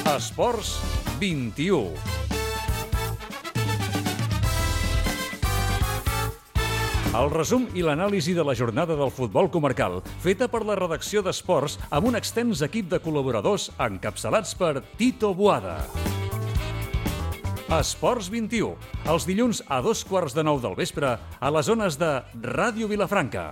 Esports 21. El resum i l'anàlisi de la jornada del futbol comarcal, feta per la redacció d'Esports amb un extens equip de col·laboradors encapçalats per Tito Boada. Esports 21, els dilluns a 8:15 del vespre a les zones de Ràdio Vilafranca.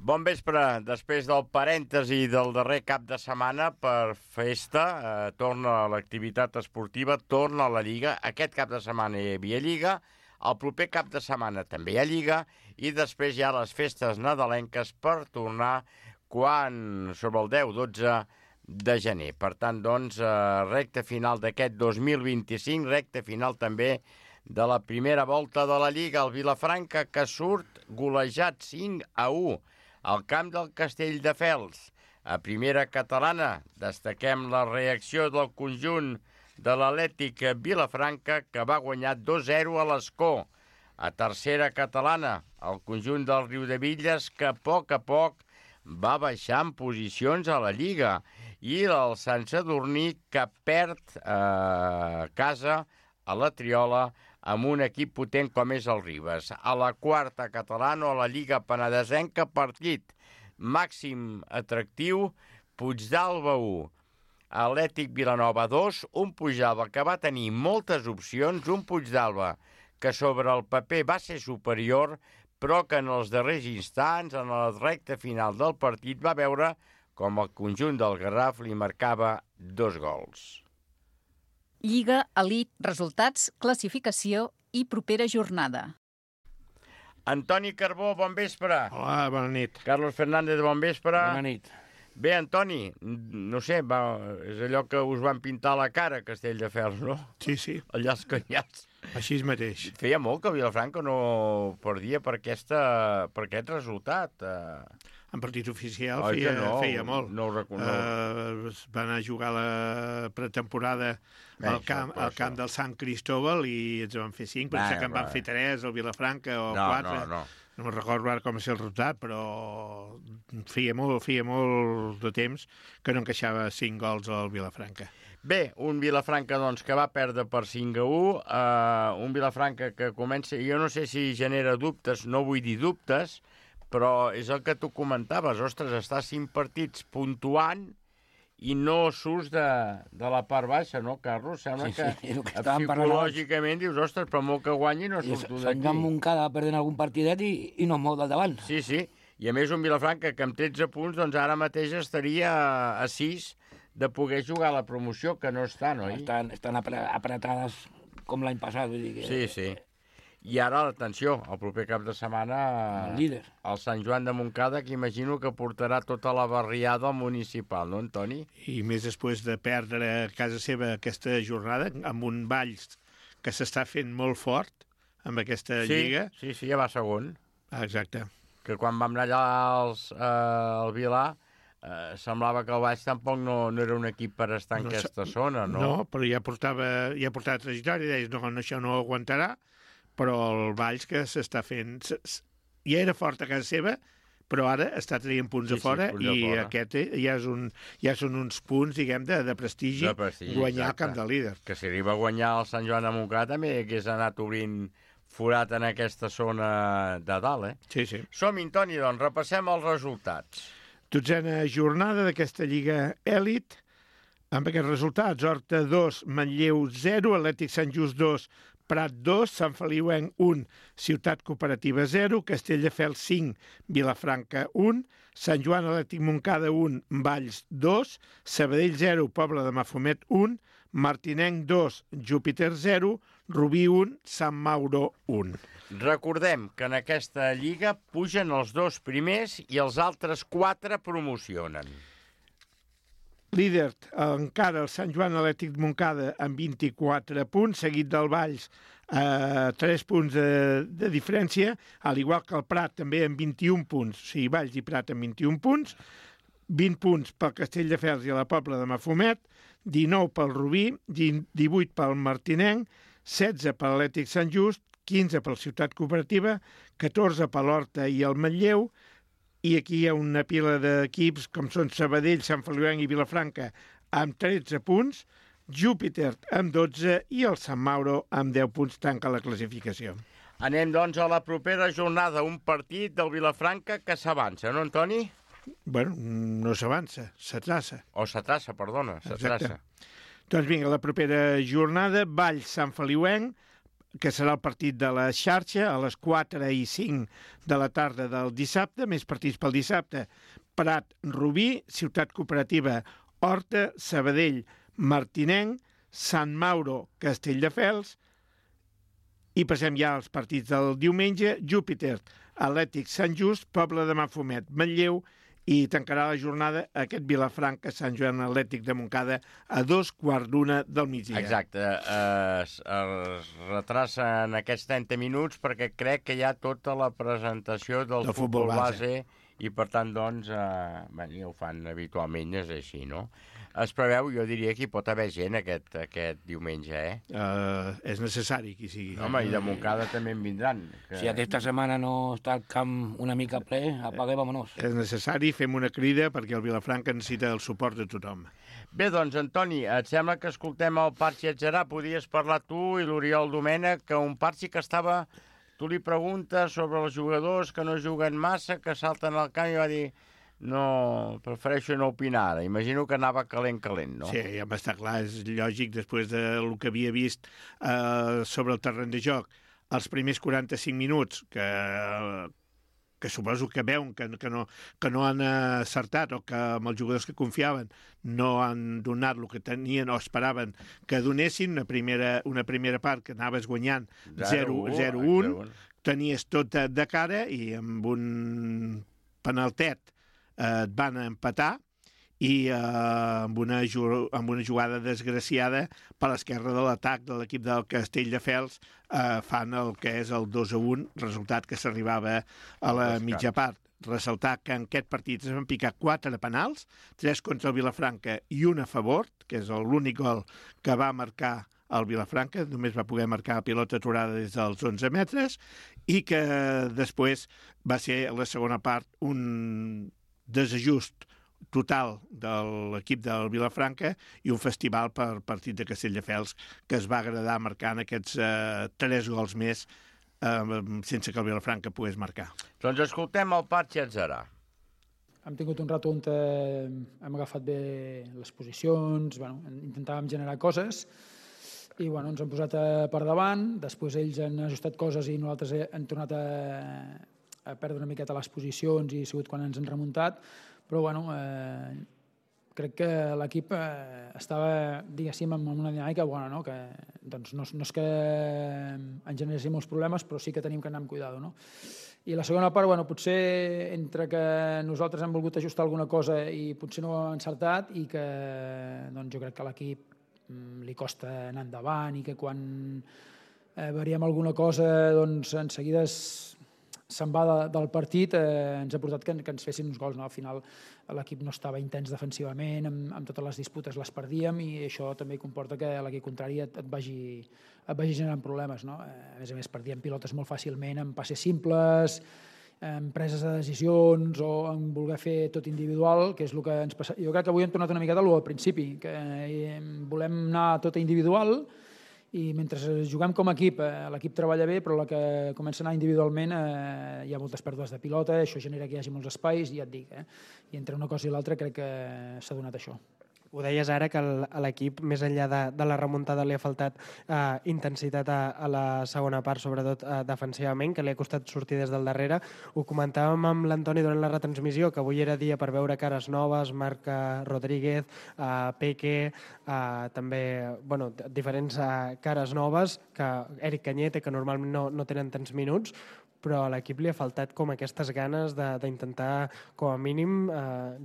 Bon vespre. Després del parèntesi del darrer cap de setmana per festa, torna l'activitat esportiva, torna la Lliga. Aquest cap de setmana hi havia Lliga, el proper cap de setmana també hi ha Lliga i després hi ha les festes nadalenques per tornar sobre el 10-12 de gener. Per tant, doncs, recta final d'aquest 2025, recta final també de la primera volta de la Lliga. El Vilafranca que surt golejat 5-1 al camp del Castelldefels. A primera catalana destaquem la reacció del conjunt de l'Atlètic Vilafranca que va guanyar 2-0 a l'Escó. A tercera catalana, el conjunt del Riudebitlles que a poc va baixar en posicions a la Lliga i el Sant Sadurní que perd a casa a la Triola amb un equip potent com és el Ribes. A la quarta catalana, a la Lliga Penedesenca, partit màxim atractiu, Puigdàlber 1, Atlètic Vilanova 2, un Puigdàlber que va tenir moltes opcions, un Puigdàlber que sobre el paper va ser superior, però que en els darrers instants, en la recta final del partit, va veure com el conjunt del Garraf li marcava 2 gols. Lliga, Elit, resultats, classificació i propera jornada. Antoni Carbó, bon vespre. Hola, bona nit. Carlos Fernández, bon vespre. Bona nit. Bé, Antoni, no sé, és allò que us van pintar la cara a Castelldefels, no? Sí. Allà els canyats. Així mateix. Feia molt que Vilafranca no perdia per aquest resultat. En partit oficial feia molt. No ho reconec. Van anar a jugar la pretemporada al camp del Sant Cristóbal i ens van fer 5, potser que en van fer 3 al Vilafranca o 4. No me'n recordo ara com va ser el resultat, però feia molt de temps que no encaixava 5 gols al Vilafranca. Bé, un Vilafranca doncs, que va perdre per 5-1, un Vilafranca que comença, jo no sé si genera dubtes, no vull dir dubtes, però és el que tu comentaves, ostres, estàs 5 partits puntuant i no surts de la part baixa, no, Carlos? Sembla que psicològicament dius, ostres, però molt que guanyi no surto d'aquí. Sant Joan Montcada perdent algun partidet i no mou del davant. Sí, i a més un Vilafranca que amb 13 punts doncs ara mateix estaria a 6 de poder jugar a la promoció, que no estan, oi? Estan apretades com l'any passat. Vull dir que... Sí. I ara, atenció, el proper cap de setmana el líder. El Sant Joan de Montcada, que imagino que portarà tota la barriada municipal, no, Antoni? I més després de perdre a casa seva aquesta jornada, amb un Valls que s'està fent molt fort amb aquesta lliga. Sí, ja va segon. Exacte. Que quan vam anar allà al Vilà, semblava que el Valls tampoc no era un equip per estar en aquesta zona, no? No, però ja portava trajectòria, deies, no, això no ho aguantarà, però el Valls que s'està fent... Ja era fort a casa seva, però ara està traient punts a fora i aquest ja són uns punts, diguem, de prestigi guanyar el camp de líder. Que si arriba a guanyar el Sant Joan de Montcada també hagués anat obrint forat en aquesta zona de dalt, Sí. Som-hi, Toni, doncs, repassem els resultats. 12a jornada d'aquesta Lliga Èlit, amb aquests resultats: Horta 2, Manlleu 0, Atlètic Sant Just 2, Prat 2, Sant Feliuenc 1, Ciutat Cooperativa 0, Castelldefels 5, Vilafranca 1, Sant Joan Atlètic Montcada 1, Valls 2, Sabadell 0, Pobla de Mafumet 1, Martinenc 2, Júpiter 0, Rubí 1, Sant Mauro 1. Recordem que en aquesta lliga pugen els 2 primers i els altres 4 promocionen. Líder encara el Sant Joan Atlètic Montcada amb 24 punts, seguit del Valls a 3 punts de diferència, al igual que el Prat també amb 21 punts, o sigui, Valls i Prat amb 21 punts, 20 punts pel Castelldefels i la Pobla de Mafumet, 19 pel Rubí, 18 pel Martinenc, 16 per l'Atlètic Sant Just, 15 per la Ciutat Cooperativa, 14 per l'Horta i el Manlleu, i aquí hi ha una pila d'equips com són Sabadell, Sant Feliuenc i Vilafranca amb 13 punts, Júpiter amb 12 i el Sant Mauro amb 10 punts tanca la classificació. Anem, doncs, a la propera jornada, un partit del Vilafranca que s'avança, no, Antoni? Bueno, no s'avança, s'atraça. O s'atraça, perdona, s'atraça. Doncs vinga, la propera jornada, Valls-Sant Feliuenc, que serà el partit de la xarxa a les 4 i 5 de la tarda del dissabte, més partits pel dissabte, Prat-Rubí, Ciutat Cooperativa, Horta, Sabadell, Martinenc, Sant Mauro, Castelldefels, i passem ja als partits del diumenge, Júpiter, Atlètic Sant Just, Pobla de Mafumet, Manlleu, i tancarà la jornada aquest Vilafranca Sant Joan Atlètic de Montcada a 2:15 del migdia. Exacte, es retrassa en aquests 30 minuts perquè crec que hi ha tota la presentació del futbol base i per tant, doncs, ja ho fan habitualment, és així, no? Es preveu, jo diria que hi pot haver gent aquest diumenge, És necessari que hi sigui. Home, i de Montcada també en vindran. Si aquesta setmana no està el camp una mica ple, apaga i vámonos. És necessari, fem una crida perquè el Vilafranca necessita el suport de tothom. Bé, doncs, Antoni, et sembla que escoltem el Parxi Atzerà? Podies parlar tu i l'Oriol Domènech, que un Parxi que estava... Tu li preguntes sobre els jugadors que no juguen massa, que salten al camp, i va dir... No, prefereixo no opinar ara. Imagino que anava calent, no? Sí, ja m'està clar, és lògic, després del que havia vist sobre el terreny de joc, els primers 45 minuts, que suposo que veuen que no han acertat o que amb els jugadors que confiaven no han donat el que tenien o esperaven que donessin, una primera part que anaves guanyant 0-1, tenies tot de cara i amb un penaltet et van empatar i amb una jugada desgraciada per l'esquerra de l'atac de l'equip del Castelldefels fan el que és el 2-1, resultat que s'arribava a la mitja part. Ressaltar que en aquest partit es van picar 4 penals, 3 contra el Vilafranca i 1 a favor, que és l'únic gol que va marcar el Vilafranca, només va poder marcar la pilota aturada des dels 11 metres, i que després va ser a la segona part un desajust total de l'equip del Vilafranca i un festival per partit de Castelldefels que es va agradar marcant aquests 3 gols més sense que el Vilafranca pogués marcar. Doncs escoltem el Parxi Atzerà. Hem tingut un rato on hem agafat bé les posicions, intentàvem generar coses i ens han posat per davant, després ells han ajustat coses i nosaltres hem tornat a perdre una miqueta les posicions i ha sigut quan ens han remuntat, però crec que l'equip estava, diguéssim, amb una dinàmica bona, no? Que doncs, no és que ens generessin molts problemes, però sí que tenim que anar amb cuidado, no? I la segona part, potser entre que nosaltres hem volgut ajustar alguna cosa i potser no hem encertat i que jo crec que a l'equip li costa anar endavant i que quan variem alguna cosa en seguida se'n va del partit, ens ha portat que ens fessin uns gols. Al final l'equip no estava intens defensivament, amb totes les disputes les perdíem i això també comporta que l'equip contrari et vagi generant problemes. A més, perdíem pilotes molt fàcilment en passes simples, en preses de decisions o en voler fer tot individual, que és el que ens passa. Jo crec que avui hem tornat una miqueta al principi, que volem anar tot individual i mentre juguem com a equip, l'equip treballa bé, però la que comença a anar individualment hi ha moltes pèrdues de pilota, això genera que hi hagi molts espais, i ja et dic, i entre una cosa i l'altra crec que s'ha donat això. Ho deies ara, que a l'equip, més enllà de la remuntada, li ha faltat intensitat a la segona part, sobretot defensivament, que li ha costat sortir des del darrere. Ho comentàvem amb l'Antoni durant la retransmissió, que avui era dia per veure cares noves, Marc Rodríguez, Peque, també diferents cares noves, que Eric Cañete, que normalment no tenen tants minuts, però a l'equip li ha faltat com aquestes ganes d'intentar, com a mínim,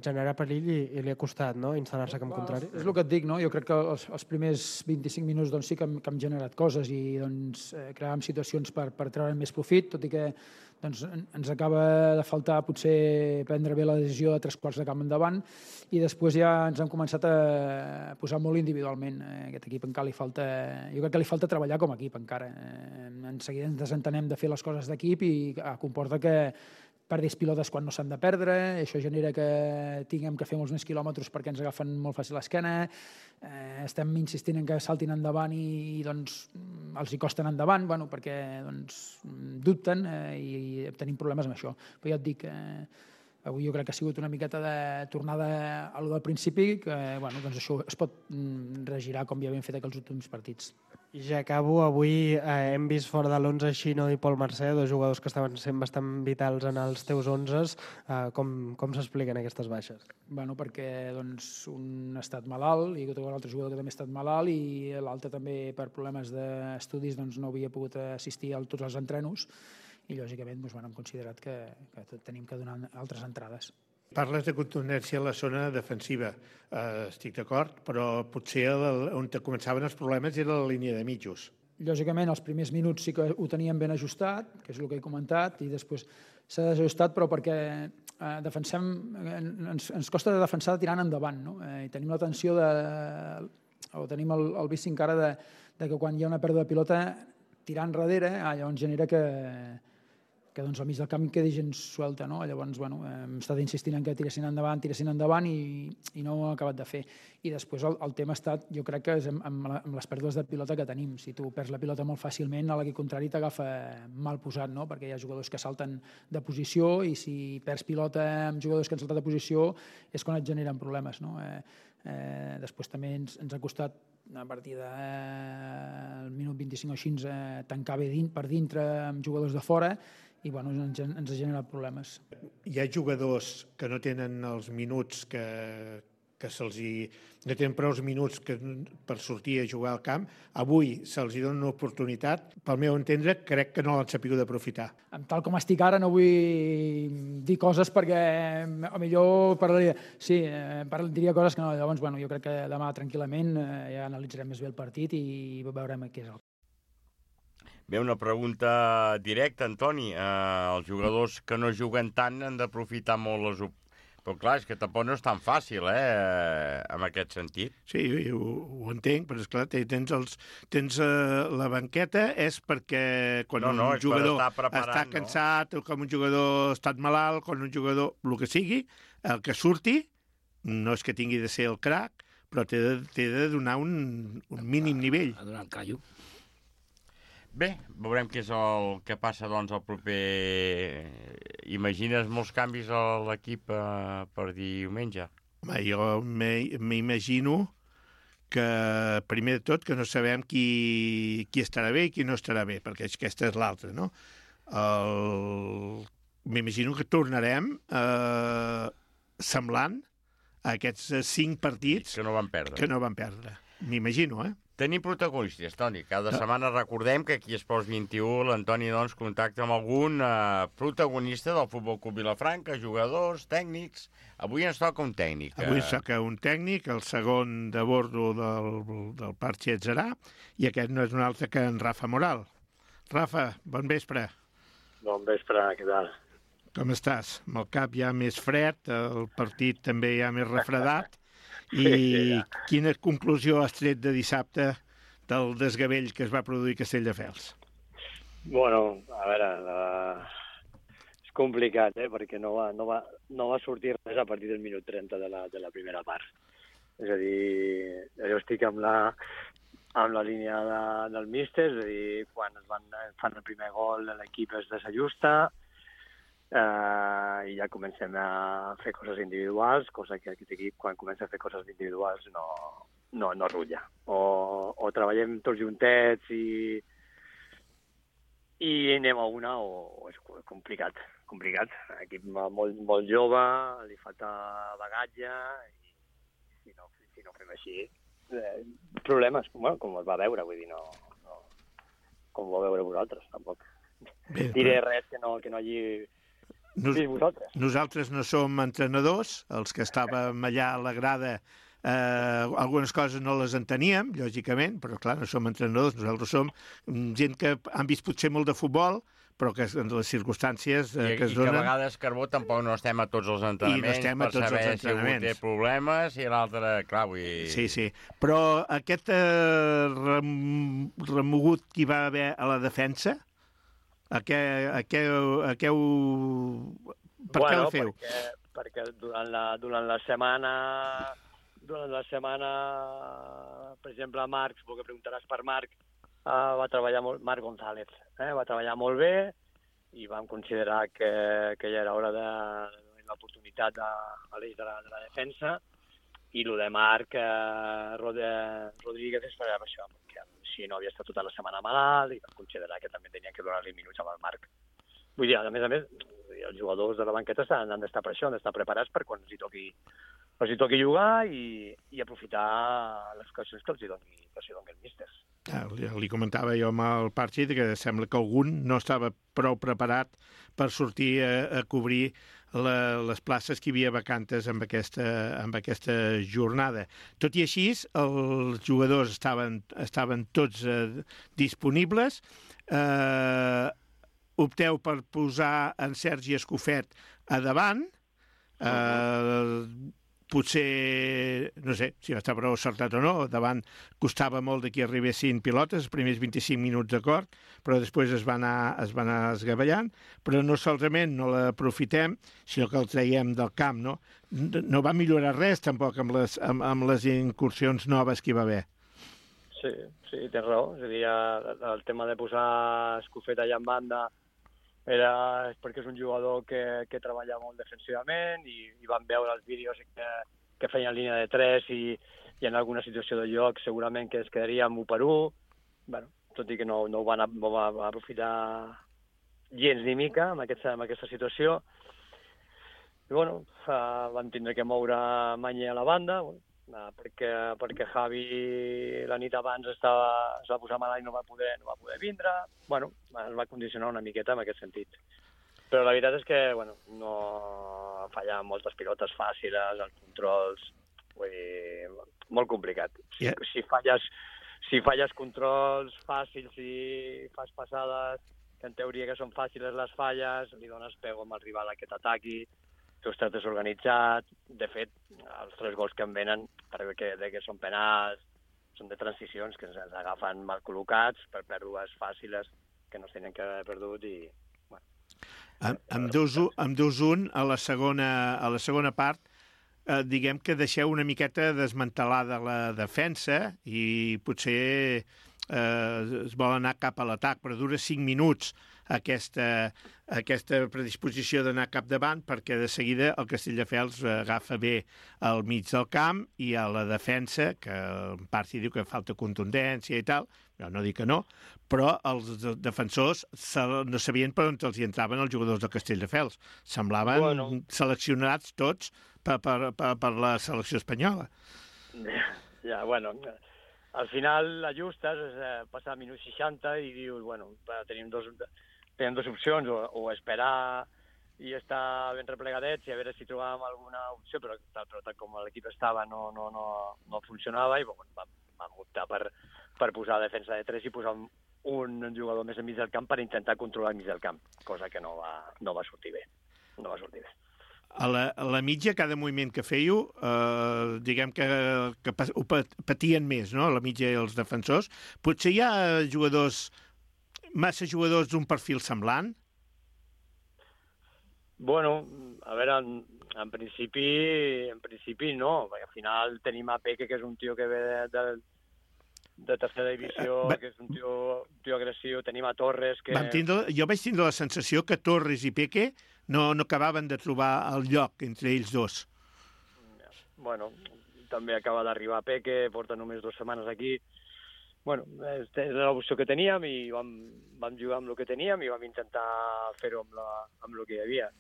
generar perill i li ha costat instal·lar-se com contrari. És el que et dic, no? Jo crec que els primers 25 minuts sí que hem generat coses i creàvem situacions per treure'n més profit, tot i que ens acaba de faltar potser prendre bé la decisió de 3 quarts de camp endavant i després ja ens hem començat a posar molt individualment. Aquest equip encara li falta... Jo crec que li falta treballar com a equip encara. En seguida ens desentenem de fer les coses d'equip i comporta que perdis pilotes quan no s'han de perdre, això genera que tinguem que fer molts més quilòmetres perquè ens agafen molt fàcil l'esquena, estem insistint en que saltin endavant i doncs, els hi costen endavant, bueno, perquè doncs, dubten i tenim problemes amb això. Però ja et dic, avui jo crec que ha sigut una miqueta de tornada a lo del principi, que bueno, doncs això es pot regirar com ja havíem fet aquells últims partits. I ja acabo. Avui hem vist fora de l'11 Xino i Pol Mercè, dos jugadors que estaven sent bastant vitals en els teus 11s. Com s'expliquen aquestes baixes? Bueno, perquè doncs, un ha estat malalt i l'altre jugador que també ha estat malalt i l'altre també per problemes d'estudis doncs, no havia pogut assistir a tots els entrenos i lògicament doncs, hem considerat que tenim que donar altres entrades. Parles de contundència a la zona defensiva. Estic d'acord, però potser on començaven els problemes era la línia de mitjos. Lògicament, els primers minuts sí que ho teníem ben ajustat, que és el que he comentat, i després s'ha desajustat, però perquè defensem, ens costa de defensar tirant endavant, no? I tenim la tensió o tenim el vici encara de que quan hi ha una pèrdua de pilota tirar enrere, llavors genera que doncs, al mig del camp quedi gent suelta, no? Llavors, bueno, hem estat insistint en que tiressin endavant i no ho hem acabat de fer. I després el tema ha estat, jo crec que és amb les pèrdues de pilota que tenim. Si tu perds la pilota molt fàcilment, a l'equip contrari t'agafa mal posat, no? Perquè hi ha jugadors que salten de posició i si perds pilota amb jugadors que han saltat de posició és quan et generen problemes, no? Després també ens ha costat a partir del minut 25 o així tancar bé per dintre amb jugadors de fora i bueno, ens ha generat problemes. Hi ha jugadors que no tenen els minuts que no tenen prou minuts per sortir a jugar al camp. Avui se'ls dona una oportunitat. Pel meu entendre, crec que no l'han sabut aprofitar. Tal com estic ara no vull dir coses perquè millor parlaria... Sí, diria coses que no. Llavors, bueno, jo crec que demà tranquil·lament ja analitzarem més bé el partit i veurem què és el. Bé, una pregunta directa, Antoni. Els jugadors que no juguen tant han d'aprofitar molt les oportunitats. Però clar, és que tampoc no és tan fàcil, en aquest sentit. Sí, ho entenc, però esclar, tens la banqueta és perquè quan un jugador està cansat, com un jugador ha estat malalt, quan un jugador, el que sigui, el que surti, no és que tingui de ser el crac, però té de donar un mínim nivell. A donar el callo. Bé, veurem què és el que passa doncs el proper... Imagines molts canvis a l'equip per diumenge? Home, jo m'imagino que, primer de tot, que no sabem qui estarà bé i qui no estarà bé, perquè aquesta és l'altra, no? M'imagino que tornarem semblant a aquests 5 partits que no van perdre. M'imagino, Tenim protagonistes, Toni. Cada setmana recordem que aquí a Esports 21 l'Antoni doncs, contacta amb algun protagonista del Futbol Club Vilafranca, jugadors, tècnics. Avui ens toca un tècnic. Avui ens toca un tècnic, el segon de bordo del Parc Xetzerà, i aquest no és un altre que en Rafa Moral. Rafa, bon vespre. Bon vespre, què tal? Com estàs? Amb el cap ja més fred, el partit també ja més refredat. I quina conclusió has tret de dissabte del desgavell que es va produir a Castelldefels? Bueno, a veure, és complicat, perquè no va sortir res a partir del minut 30 de la primera part. És a dir, jo estic amb la línia del míster, és a dir, quan fan el primer gol l'equip es desajusta, i ja comencem a fer coses individuals, cosa que aquest equip, quan comença a fer coses individuals, no rutlla. O treballem tots juntets i anem a una, o és complicat. Equip molt jove, li falta bagatge, i si no fem així, problemes, com es va veure, vull dir, no com ho vau veure vosaltres, tampoc. Diré res que no hagi... Nosaltres no som entrenadors, els que estàvem allà a la grada, algunes coses no les enteníem, lògicament, però clar, no som entrenadors, nosaltres som gent que han vist potser molt de futbol, però que en les circumstàncies que es donen... I que a vegades, Carbó, tampoc no estem a tots els entrenaments per saber si algú té problemes i l'altre, clar, vull dir... Sí, però aquest remogut que hi va haver a la defensa, A què heu... Per què la feu? Perquè durant la setmana, per exemple, Marc, suposo que preguntaràs per Marc, va treballar molt, Marc González, va treballar molt bé i vam considerar que ja era hora de donar l'oportunitat a l'eix de la defensa, i el de Marc Rodríguez és per això, perquè si no havia estat tota la setmana malalt i vam considerar que també tenia que donar-li minuts amb el Marc. Vull dir, a més, els jugadors de la banqueta han d'estar per això, han d'estar preparats per quan els hi toqui jugar i aprofitar les ocasions que els hi doni el míster. Li comentava jo amb el Parxi que sembla que algun no estava prou preparat per sortir a cobrir les places que hi havia vacantes amb aquesta jornada. Tot i així, els jugadors estaven tots disponibles. Opteu per posar en Sergi Escofet a davant. Potser, no sé si va estar prou acertat o no, davant costava molt que arribessin pilotes, els primers 25 minuts d'acord, però després es va anar esgavellant, però no solament no l'aprofitem, sinó que els traiem del camp, no? No va millorar res tampoc amb les incursions noves que hi va haver. Sí, tens raó. És a dir, el tema de posar Escofet allà en banda és perquè és un jugador que treballa molt defensivament i vam veure els vídeos que feien línia de 3 i en alguna situació de joc segurament que es quedaria amb 1 per 1. Bueno, tot i que no ho van aprofitar gens ni mica amb aquesta situació. I bueno, vam tindre que moure Mañé a la banda, perquè Javi la nit abans es va posar malalt i no va poder vindre. Bueno, es va condicionar una miqueta en aquest sentit. Però la veritat és que no fallaven moltes pilotes fàcils, els controls, vull dir, molt complicat. Yeah. Si falles controls fàcils i fas passades, que en teoria que són fàcils les falles, li dones pego amb el rival a que t'ataqui, tu estàs desorganitzat. De fet, els 3 gols que em venen, perquè són penals, són de transicions que ens agafen mal col·locats per pèrdues fàcils que no es tenien que haver perdut i... Bueno. Amb 2-1 a la segona part, diguem que deixeu una miqueta desmantelada la defensa i potser es vol anar cap a l'atac, però dura 5 minuts aquesta predisposició d'anar cap davant, perquè de seguida el Castelldefels agafa bé al mig del camp i a la defensa, que en part s'hi diu que falta contundència i tal, jo no dic que no, però els defensors no sabien per on els hi entraven els jugadors del Castelldefels. Semblaven seleccionats tots per la selecció espanyola. Ja, bueno, al final l'ajustes, passar a minut 60 i dius, bueno, tenim dues opcions, o esperar i estar ben replegadets i a veure si trobàvem alguna opció, però tal com l'equip estava no funcionava i vam optar per posar defensa de 3 i posar un jugador més enmig del camp per intentar controlar el mig del camp, cosa que no va sortir bé. No va sortir bé. A la mitja, cada moviment que fèieu, diguem que ho patien més, no?, a la mitja i els defensors. Potser hi ha massa jugadors d'un perfil semblant? Bueno, a veure, en principi no, perquè al final tenim a Peque, que és un tio que ve de tercera divisió, que és un tio agressiu, tenim a Torres, que... Jo vaig tindre la sensació que Torres i Peque no acabaven de trobar el lloc entre ells dos. Bueno, també acaba d'arribar Peque, porta només 2 setmanes aquí. Bueno, és l'opció que teníem i vam jugar amb el que teníem i vam intentar fer-ho amb el que hi havia.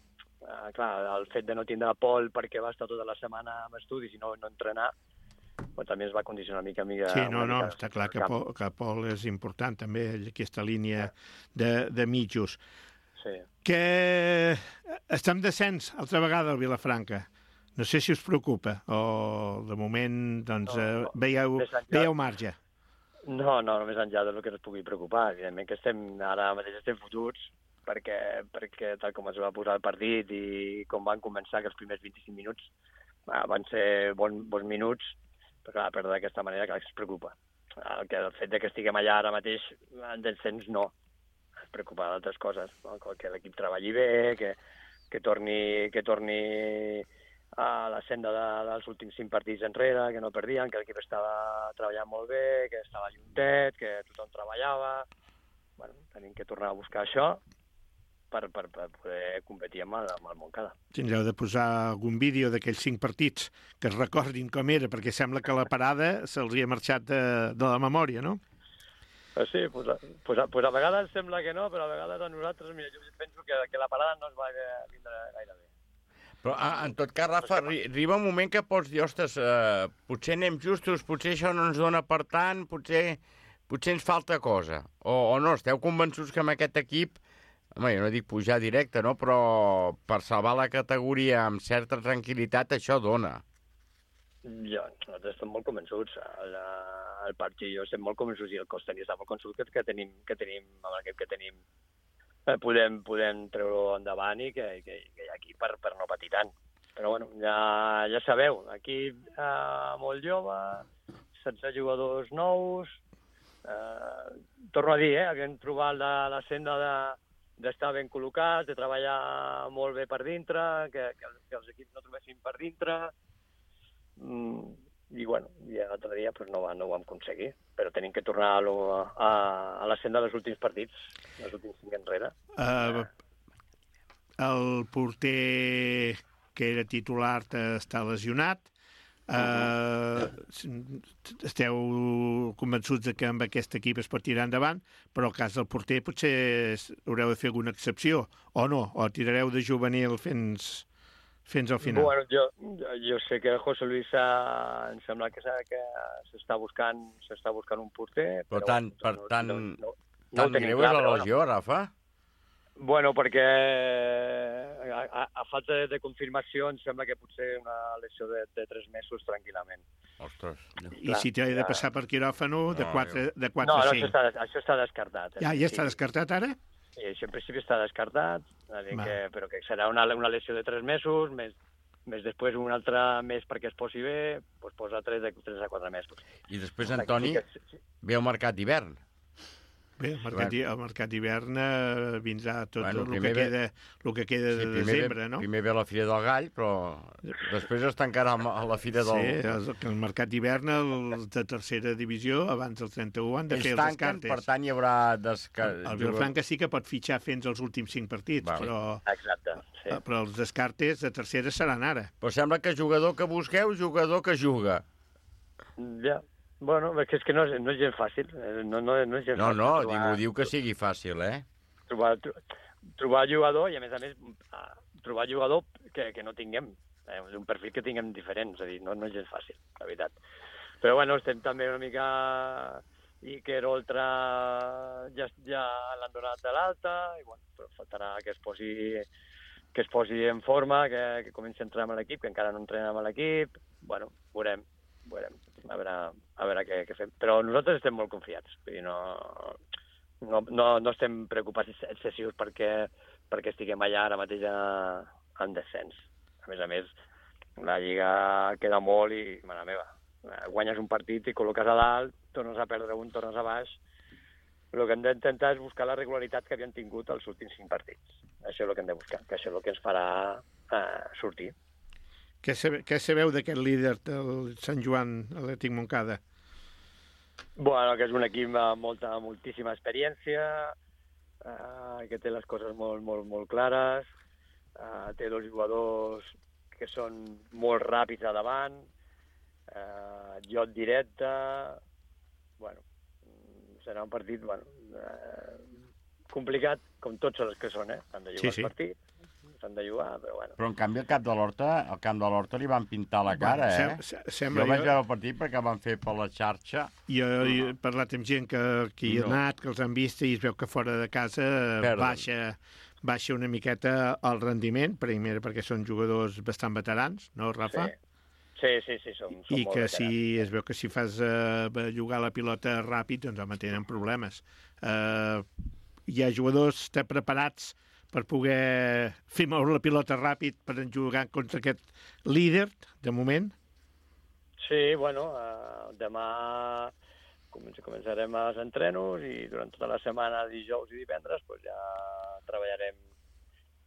Clar, el fet de no tindre Pol perquè va estar tota la setmana amb estudis i no entrenar, també es va condicionar una mica. Sí, està clar que Pol és important també, aquesta línia de mitjos. Sí. Que estem descens altra vegada al Vilafranca. No sé si us preocupa o de moment doncs, veieu marge. No, més enllà del que ens pugui preocupar. Evidentment que ara mateix estem fotuts perquè tal com es va posar el partit i com van començar, que els primers 25 minuts van ser bons minuts, però clar, perdre d'aquesta manera, clar, es preocupa. El fet de que estiguem allà ara mateix en descens no. es preocupa d'altres coses, no? Que l'equip treballi bé, que torni a la senda dels últims 5 partits enrere, que no perdien, que l'equip estava treballant molt bé, que estava juntet, que tothom treballava. Bueno, tenim que tornar a buscar això per poder competir amb el Montcada. Tindreu de posar algun vídeo d'aquells 5 partits que es recordin com era, perquè sembla que la parada se'ls hi ha marxat de la memòria, no? Sí, pues a vegades sembla que no, però a vegades a nosaltres, mira, jo penso que la parada no es va vindre gaire bé. Però, en tot cas, Rafa, arriba un moment que pots dir, ostres, potser anem justos, potser això no ens dona per tant, potser ens falta cosa. O no, esteu convençuts que amb aquest equip, home, jo no dic pujar directe, no? Però per salvar la categoria amb certa tranquil·litat, això dona. Nosaltres estem molt convençuts. El partit jo estem molt convençuts i el cos tècnic està molt convençut que tenim amb l'equip que tenim podem treure endavant i que hi ha aquí per no patir tant. Però bueno, ja sabeu, aquí molt jove, 16 jugadors nous, torno a dir, haguem trobat la senda d'estar ben col·locats, de treballar molt bé per dintre, que els equips no trobessin per dintre, i bueno, i l'altre dia pues, no ho vam aconseguir, però tenim que tornar a la senda dels últims partits, els últims 5 enrere. El porter que era titular està lesionat. Esteu convençuts que amb aquest equip es pot tirar endavant, però el cas del porter potser haureu de fer alguna excepció, o no? O tirareu de juvenil fins al final? Bueno, jo sé que José Luis em sembla que s'està buscant un porter. Però tan greu és la lesió, Rafa? Bueno, perquè a falta de confirmació em sembla que potser una lesió de 3 mesos tranquil·lament. Ostres. I si t'ha de passar per quiròfano, de 4 a 5? No, això està descartat. Ja està descartat ara? Sí, això en principi està descartat, però que serà una lesió de 3 mesos, més després un altre mes perquè es posi bé, doncs posa 3 a 4 mesos. I després, Antoni, ve el mercat d'hivern. Bé, el mercat d'hivern vindrà tot el que queda de desembre, no? Primer ve la Fira del Gall, però després es tancarà la Fira del... Sí, el mercat d'hivern, els de tercera divisió, abans del 31, han de fer els descartes. Per tant, hi haurà descartes. El Vilafranca sí que pot fitxar fins als últims 5 partits, Exacte, sí. Però els descartes de tercera seran ara. Però sembla que jugador que busqueu, jugador que juga. Ja. Bueno, és que no és gens fàcil. No és gens fàcil. No, ningú diu que sigui fàcil, eh? Trobar jugador, i a més, trobar jugador que no tinguem, un perfil que tinguem diferent, és a dir, no és gens fàcil, la veritat. Però bueno, estem també una mica... Iker Oltra ja l'han donat de l'alta, i bueno, però faltarà que es posi en forma, que comenci a entrenar amb l'equip, que encara no entrena amb l'equip. Bueno, veurem. A veure què fem. Però nosaltres estem molt confiats. Vull dir, no estem preocupats excessius perquè estiguem allà ara mateix en descens. A més, la Lliga queda molt i, mare meva, guanyes un partit i col·loques a dalt, tornes a perdre un, tornes a baix. El que hem d'intentar és buscar la regularitat que havien tingut els últims 5 partits. Això és el que hem de buscar, que això és el que ens farà sortir. Què sabeu d'aquest líder del Sant Joan Atlètic Montcada? Bueno, que és un equip amb moltíssima experiència, que té les coses molt clares, té 2 jugadors que són molt ràpids a davant, joc directe. Bueno, serà un partit complicat, com tots els que són, han de jugar el partit. S'han de jugar, però bueno. Però en canvi al camp de l'Horta li van pintar la cara, Jo vaig veure el partit perquè van fer per la xarxa. Jo he parlat amb gent que hi ha anat, que els han vist, i es veu que fora de casa baixa una miqueta el rendiment, primer perquè són jugadors bastant veterans, no, Rafa? Sí, som I que si es veu que si fas jugar la pilota ràpid, doncs home, tenen problemes. Hi ha jugadors preparats per poder fer moure la pilota ràpid per jugar contra aquest líder, de moment? Sí, bueno, demà començarem els entrenos i durant tota la setmana, dijous i divendres, pues ja treballarem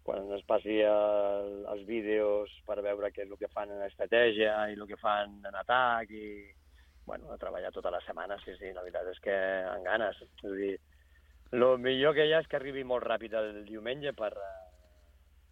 quan ens passi els vídeos per veure què és el que fan en estratègia i el que fan en atac i, bueno, a treballar tota la setmana, sí, la veritat és que amb ganes. És a dir, el millor que hi ha és que arribi molt ràpid el diumenge per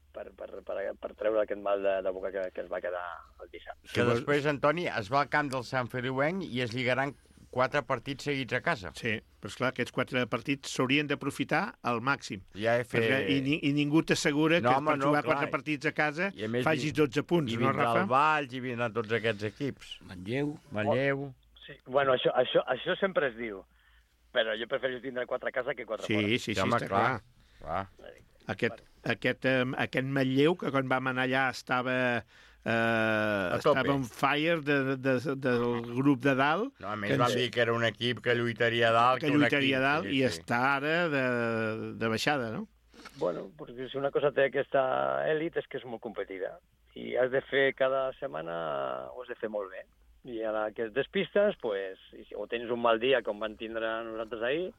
treure aquest mal de boca que es va quedar el dissabte. Que després, Antoni, es va al camp del Sant Feliuenc i es lligaran 4 partits seguits a casa. Sí, però esclar, aquests 4 partits s'haurien d'aprofitar al màxim. Ja I ningú t'assegura que per jugar 4 partits a casa facis 12 punts, no, Rafa? I vindrà el Valls, i vindran tots aquests equips. Manlleu. Sí, bueno, això sempre es diu, però jo prefereixo tindre 4 a casa que 4 fora. Sí, està clar. Aquest Manlleu, que quan vam anar allà estava on fire del grup de dalt. No, a més vam dir que era un equip que lluitaria dalt. I està ara de baixada, no? Bueno, perquè si una cosa té aquesta èlit és que és molt competida. I has de fer cada setmana, ho has de fer molt bé. I a la que es despistes, o tens un mal dia com van tindre nosaltres ahir,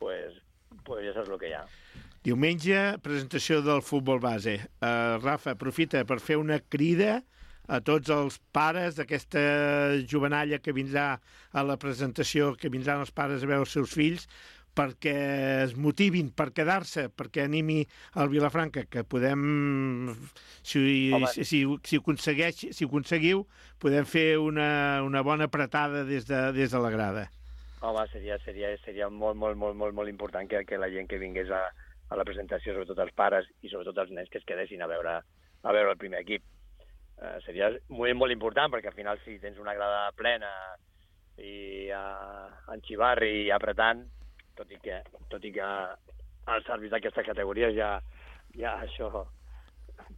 pues ja saps el que hi ha. Diumenge, presentació del futbol base. Rafa, aprofita per fer una crida a tots els pares d'aquesta jovenalla que vindrà a la presentació, que vindran els pares a veure els seus fills, perquè es motivin per quedar-se, perquè animi el Vilafranca, que podem, si ho aconseguiu, podem fer una bona apretada des de la grada. Home, seria molt important que la gent que vingués a la presentació, sobretot els pares i sobretot els nens, que es quedessin a veure el primer equip. Seria molt, molt important, perquè al final si tens una grada plena i en xivarri i apretant, tot i que els àrbits d'aquestes categories ja això,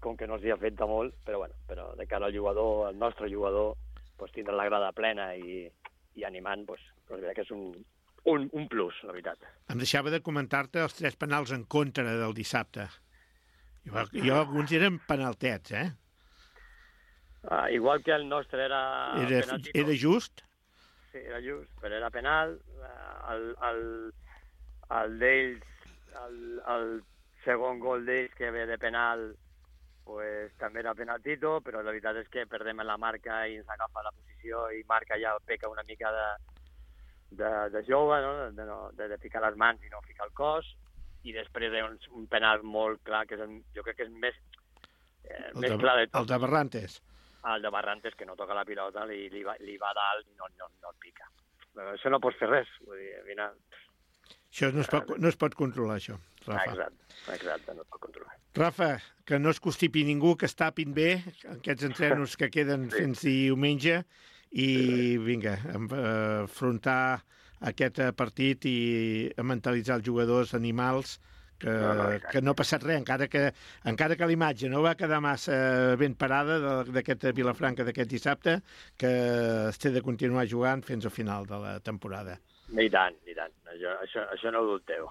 com que no s'hi ha fet de molt, però de cara al jugador, al nostre jugador, tindre la grada plena i animant, la veritat que és un plus, la veritat. Em deixava de comentar-te els 3 penals en contra del dissabte. Jo alguns eren penaltets, eh? Igual que el nostre era penalti. Era just? Sí, era just, però era penal. El d'ells, el segon gol d'ells que ve de penal, també era penaltito, però la veritat és que perdem la marca i ens agafa la posició i marca ja peca una mica de jove, no? De ficar les mans i no ficar el cos, i després un penal molt clar, que jo crec que és més clar de tot. El de Barrantes. El de Barrantes, que no toca la pilota, li va dalt i no el pica. Però això no pots fer res, vull dir, al final... Això no es pot controlar, això, Rafa. Exacte, no es pot controlar. Rafa, que no es constipi ningú, que es tapin bé aquests entrenos que queden fins diumenge i vinga, afrontar aquest partit i mentalitzar els jugadors animals que no ha passat res, encara que la imatge no va quedar massa ben parada d'aquest Vilafranca d'aquest dissabte, que es té de continuar jugant fins al final de la temporada. I tant. Això no ho dubteu.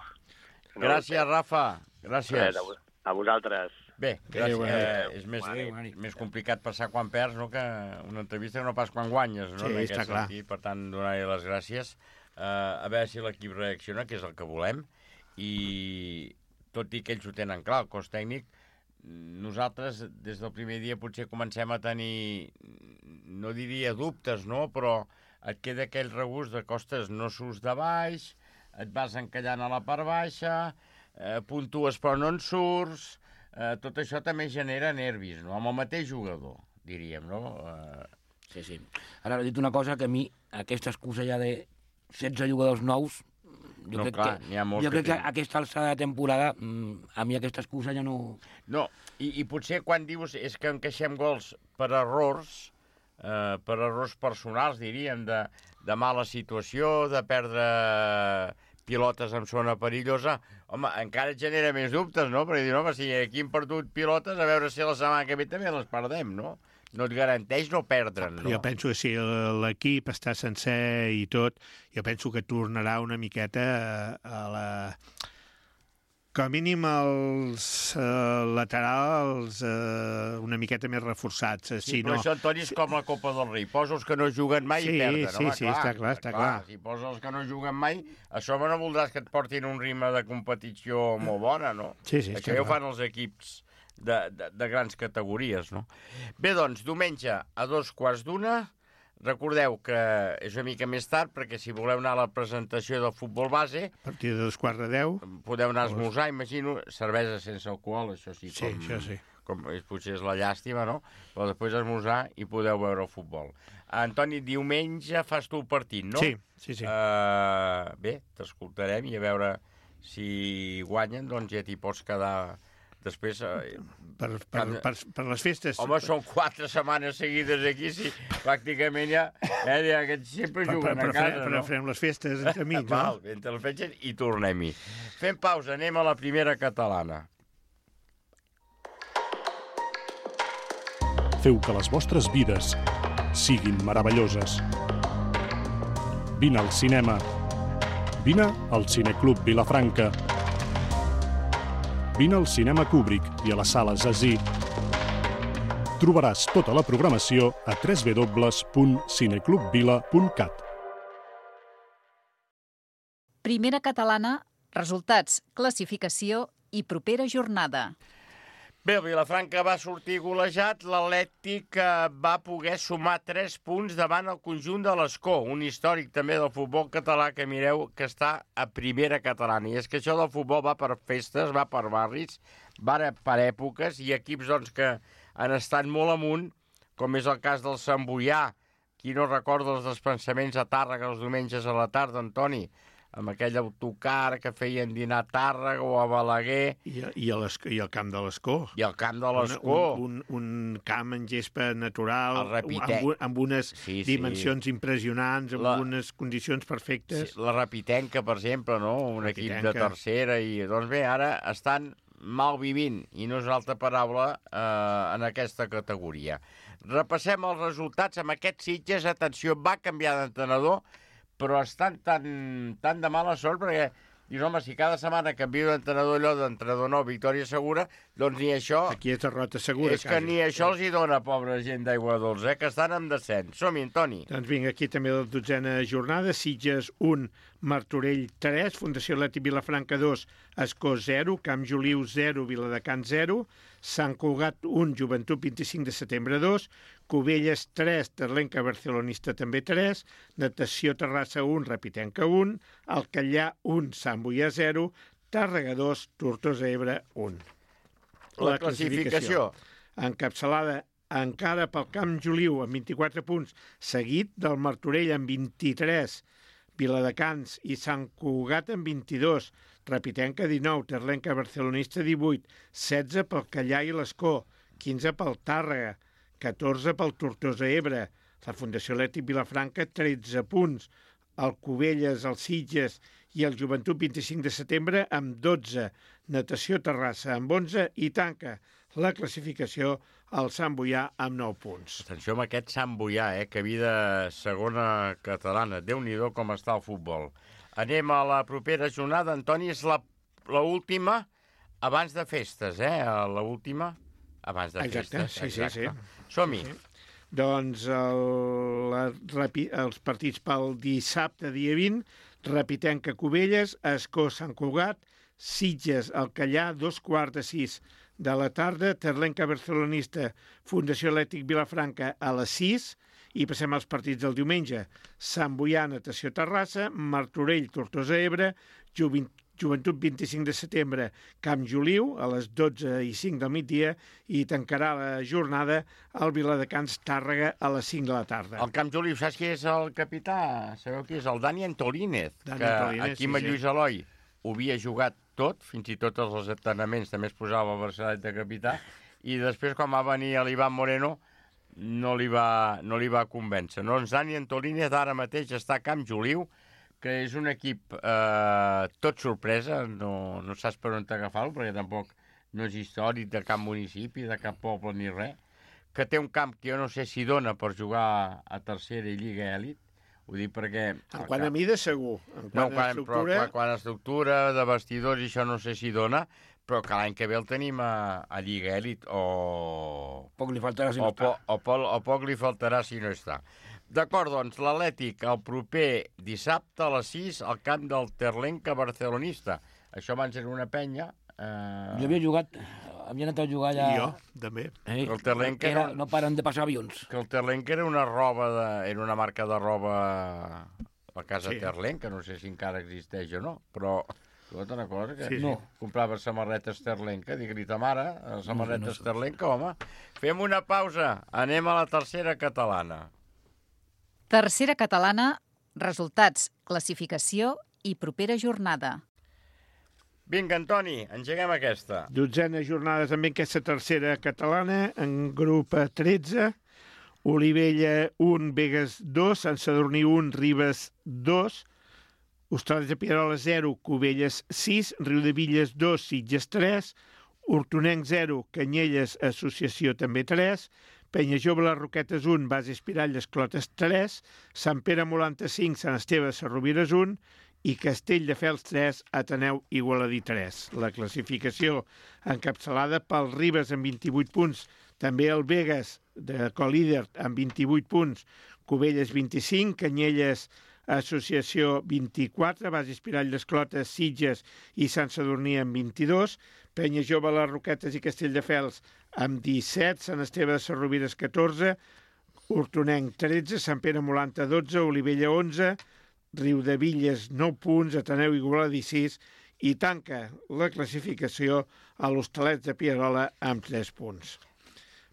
Gràcies, Rafa. Gràcies. A vosaltres. Bé, gràcies. És més complicat passar quan perds, no?, que una entrevista que no pas quan guanyes, no? Sí, està clar. Per tant, donar-li les gràcies. A veure si l'equip reacciona, que és el que volem, i tot i que ells ho tenen clar, el cos tècnic, nosaltres des del primer dia potser comencem a tenir, no diria dubtes, no?, però et queda aquell regust de costes, no surts de baix, et vas encallant a la part baixa, puntues però no en surts, tot això també genera nervis, no?, amb el mateix jugador, diríem, no? Sí. Ara he dit una cosa, que a mi aquesta excusa ja de 16 jugadors nous, jo crec que aquesta alçada de temporada, a mi aquesta excusa ja no... No, i potser quan dius és que encaixem gols per errors personals, diríem, de mala situació, de perdre pilotes en zona perillosa, home, encara et genera més dubtes, no? Perquè dius, home, si aquí hem perdut pilotes, a veure si la setmana que ve també les perdem, no? No et garanteix no perdre'n, no? Jo penso que si l'equip està sencer i tot, jo penso que tornarà una miqueta Com a mínim els laterals una miqueta més reforçats. Sí, però això, Antoni, és com la Copa del Rei. Posa els que no juguen mai i perden. Sí, està clar. Si posa els que no juguen mai, això no voldràs que et portin un ritme de competició molt bona, no? Sí, això ja ho fan els equips de grans categories, no? Bé, doncs, diumenge a 2:15. Recordeu que és una mica més tard, perquè si voleu anar a la presentació del futbol base... A partir de 2:15. Podeu anar a esmorzar, imagino, cervesa sense alcohol, això sí. Sí, això sí. Potser és la llàstima, no? Però després esmorzar i podeu veure el futbol. Antoni, diumenge fas tu el partit, no? Sí. Bé, t'escoltarem i a veure si guanyen, doncs ja t'hi pots quedar... Després... Per les festes... Home, són 4 setmanes seguides aquí, sí, pràcticament ja aquests sempre juguen a casa, no? Però farem les festes entre amics, no? Val, entre les festes i tornem-hi. Fem pausa, anem a la primera catalana. Feu que les vostres vides siguin meravelloses. Vine al cinema. Vine al Cineclub Vilafranca. Vine al Cinema Kubrick i a les sales Así. Trobaràs tota la programació a www.cineclubvila.cat. Primera catalana, resultats, classificació i propera jornada. Bé, el Vilafranca va sortir golejat, l'Atlètic va poder sumar 3 punts davant el conjunt de l'Escó, un històric també del futbol català que mireu que està a primera catalana. I és que això del futbol va per festes, va per barris, va per èpoques, i equips doncs, que han estat molt amunt, com és el cas del Sant Boià. Qui no recorda els despensaments a Tàrrega els diumenges a la tarda, Antoni? Amb aquell autocar que feien dinar a Tàrrega o a Balaguer. I el camp de l'Escó. I el camp de l'Escó. Un camp en gespa natural, amb unes dimensions impressionants, amb unes condicions perfectes. Sí, la Repitenca, per exemple, no? Un equip de tercera. I doncs bé, ara estan malvivint, i no és una altra paraula, en aquesta categoria. Repassem els resultats amb aquest Sitges. Atenció, va canviar d'entrenador, però estan tan de mala sort, perquè dius, home, si cada setmana canvio d'entrenador, allò d'entrenador nou, victòria segura, doncs ni això... Aquí és derrota segura, és que ni això els hi dona, pobra gent d'Aigua Dols, que estan en descens. Som-hi, Antoni. Doncs vinga, aquí també la 12a jornada, Sitges 1, Martorell 3, Fundació Atlètic Vilafranca 2, Escó 0, Camp Joliu 0, Viladecans 0, Sant Cugat 1, Joventut 25 de setembre 2, Cubelles 3, Terlenca Barcelonista també 3, Natació Terrassa 1, Repitenca 1, Alcallà 1, Sant Boià 0, Tàrrega 2, Tortosa Ebre 1. La classificació. Encapçalada encara pel Camp Joliu amb 24 punts, seguit del Martorell amb 23, Viladecans i Sant Cugat amb 22, Repitenca 19, Terlenca Barcelonista 18, 16 pel Callà i l'Escó, 15 pel Tàrrega, 14 pel Tortosa Ebre, la Fundació Atlètic Vilafranca 13 punts, el Cubelles, el Sitges i el Joventut 25 de setembre amb 12, Natació Terrassa amb 11 i tanca la classificació al Sant Boià amb 9 punts. Atenció amb aquest Sant Boià, que vida segona catalana. Déu-n'hi-do com està el futbol. Anem a la propera jornada, Antoni, és l'última abans de festes, l'última abans de festes. Exacte. Som-hi. Sí. Doncs els partits pel dissabte, dia 20, Repitenca Cubelles, Escó Sant Cugat, Sitges Alcallà, 5:15 de la tarda, Terlenca Barcelonista, Fundació Atlètic Vilafranca a les 6, i passem als partits del diumenge. Sant Boià, Natació Terrassa, Martorell, Tortosa Ebre, Joventut 25 de setembre, Camp Joliu, a les 12:05 del migdia, i tancarà la jornada al Viladecans Tàrrega a les 5 de la tarda. El Camp Joliu, saps qui és el capità? Sabeu qui és? El Dani Antolínez, que aquí amb Lluís Eloi ho havia jugat tot, fins i tot els entrenaments també es posava el braçalet de capità, i després quan va venir l'Ivan Moreno no li va convèncer. Doncs Dani Antolínez ara mateix està a Camp Joliu, que és un equip tot sorpresa, no saps per on t'agafar-lo, perquè tampoc no és històric de cap municipi, de cap poble ni res, que té un camp que jo no sé si dona per jugar a tercera i Lliga Elit, Ho dic perquè... En quant a mida, segur. Quant a estructura, de vestidors, i això no sé si dona, però que l'any que ve el tenim a Lliga Elit, o... Poc li faltarà si no està. O poc li faltarà si no està. D'acord, doncs, l'Atlètic el proper dissabte a les 6 al camp del Terlenca barcelonista. Això abans era una penya. Jo havia jugat... Havia anat a jugar allà... Jo, també. El Terlenca no paren de passar avions. Que el Terlenca era una marca de roba a casa Terlenca, no sé si encara existeix o no, però... Escolta, una cosa, que comprava samarretes Terlenca, digue-li ta mare, samarretes Terlenca, home. Fem una pausa, anem a la tercera catalana. Tercera catalana, resultats, classificació i propera jornada. Vinga, Antoni, engeguem aquesta. 12a jornada també aquesta tercera catalana, en grup 13, Olivella 1, Begues 2, Sant Sadurní 1, Ribes 2, Hostalets de Pierola 0, Cubelles 6, Riudevilles 2, Sitges 3, Hortonenc 0, Canyelles Associació també 3, Penyajove les Roquetes 1, Base Espiralles Clotes 3, Sant Pere Molanta 5, Sant Esteve Sarrovires 1 i Castelldefels 3, Ateneu Igualadí 3. La classificació encapçalada pel Ribes amb 28 punts, també el Begues de colíder amb 28 punts, Cubelles 25, Canyelles Associació 24, Base Espiralles Clotes, Sitges i Sant Sadurní amb 22, Penyajove, les Roquetes i Castelldefels amb 17, Sant Esteve de Sarrovires 14, Hortonenc 13, Sant Pere Molanta 12, Olivella 11, Riudevilles 9 punts, Ateneu Igualadí 6 i tanca la classificació a l'Hostalets de Pierola amb 3 punts.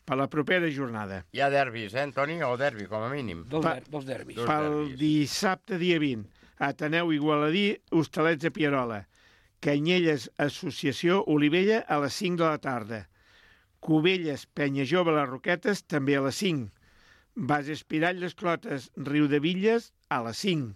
Per la propera jornada. Hi ha derbis, Antoni? O derbi, com a mínim. Dos derbis. Pel dissabte, dia 20, Ateneu Igualadí, Hostalets de Pierola. Canyelles Associació Olivella a les 5 de la tarda. Cubelles Penyajove les Roquetes també a les 5. Base Espiralles Clotes Riudevilles a les 5.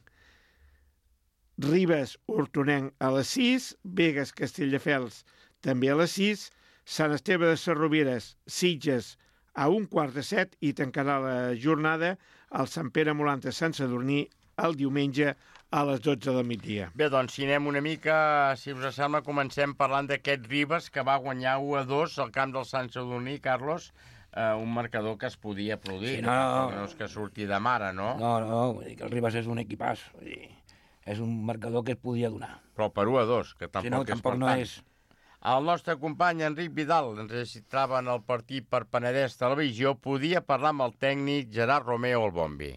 Ribes Hortonenc a les 6. Begues Castelldefels també a les 6. Sant Esteve de Sarrovires, Sitges, a 6:15 i tancarà la jornada al Sant Pere Molanta Sant Sadurní el diumenge a les 12 del migdia. Bé, doncs, si anem una mica, si us sembla, comencem parlant d'aquest Ribes, que va guanyar 1-2 al camp del Sant Sadurní, Carlos, un marcador que es podia aplaudir. Sí, no és que surti de mare, no? No, vull dir que el Ribes és un equipàs, vull dir, és un marcador que es podia donar. Però per 1-2, que tampoc és per tant. És... El nostre company Enric Vidal, ens registrava en el partit per Penedès Televisió, podia parlar amb el tècnic Gerard Romeo al bombi.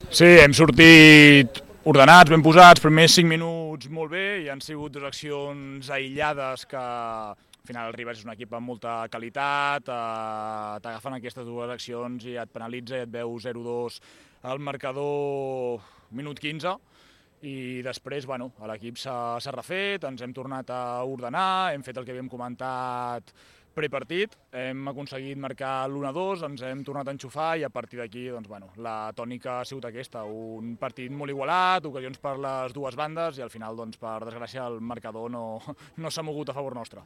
Sí, hem sortit ordenats, ben posats, primers 5 minuts molt bé, i han sigut 2 accions aïllades que al final el Ribes és un equip amb molta qualitat, t'agafen aquestes 2 accions i et penalitza i et veu 0-2 al marcador minut 15, i després l'equip s'ha refet, ens hem tornat a ordenar, hem fet el que havíem comentat prepartit, hem aconseguit marcar l'1-2, ens hem tornat a enxufar i a partir d'aquí la tònica ha sigut aquesta, un partit molt igualat, ocasions per les dues bandes i al final, per desgràcia, el marcador no s'ha mogut a favor nostre.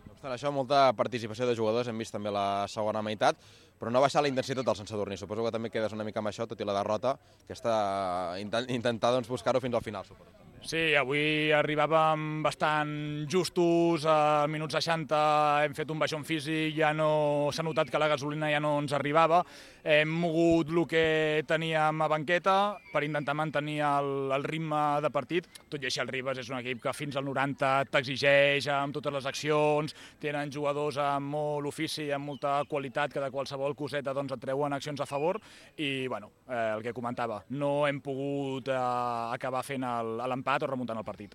No obstant això, molta participació de jugadors, hem vist també la segona meitat, però no baixar la intensitat del Sant Sadurní. Suposo que també quedes una mica amb això, tot i la derrota, que està intentar buscar-ho fins al final, suposo. Sí, avui arribàvem bastant justos, al minut 60 hem fet un baixón físic, ja no s'ha notat que la gasolina ja no ens arribava, hem mogut el que teníem a banqueta per intentar mantenir el ritme de partit, tot i així el Ribes és un equip que fins al 90 t'exigeix amb totes les accions, tenen jugadors amb molt ofici, amb molta qualitat, que de qualsevol coseta et treuen accions a favor i el que comentava, no hem pogut acabar fent l'empat o remuntant el partit.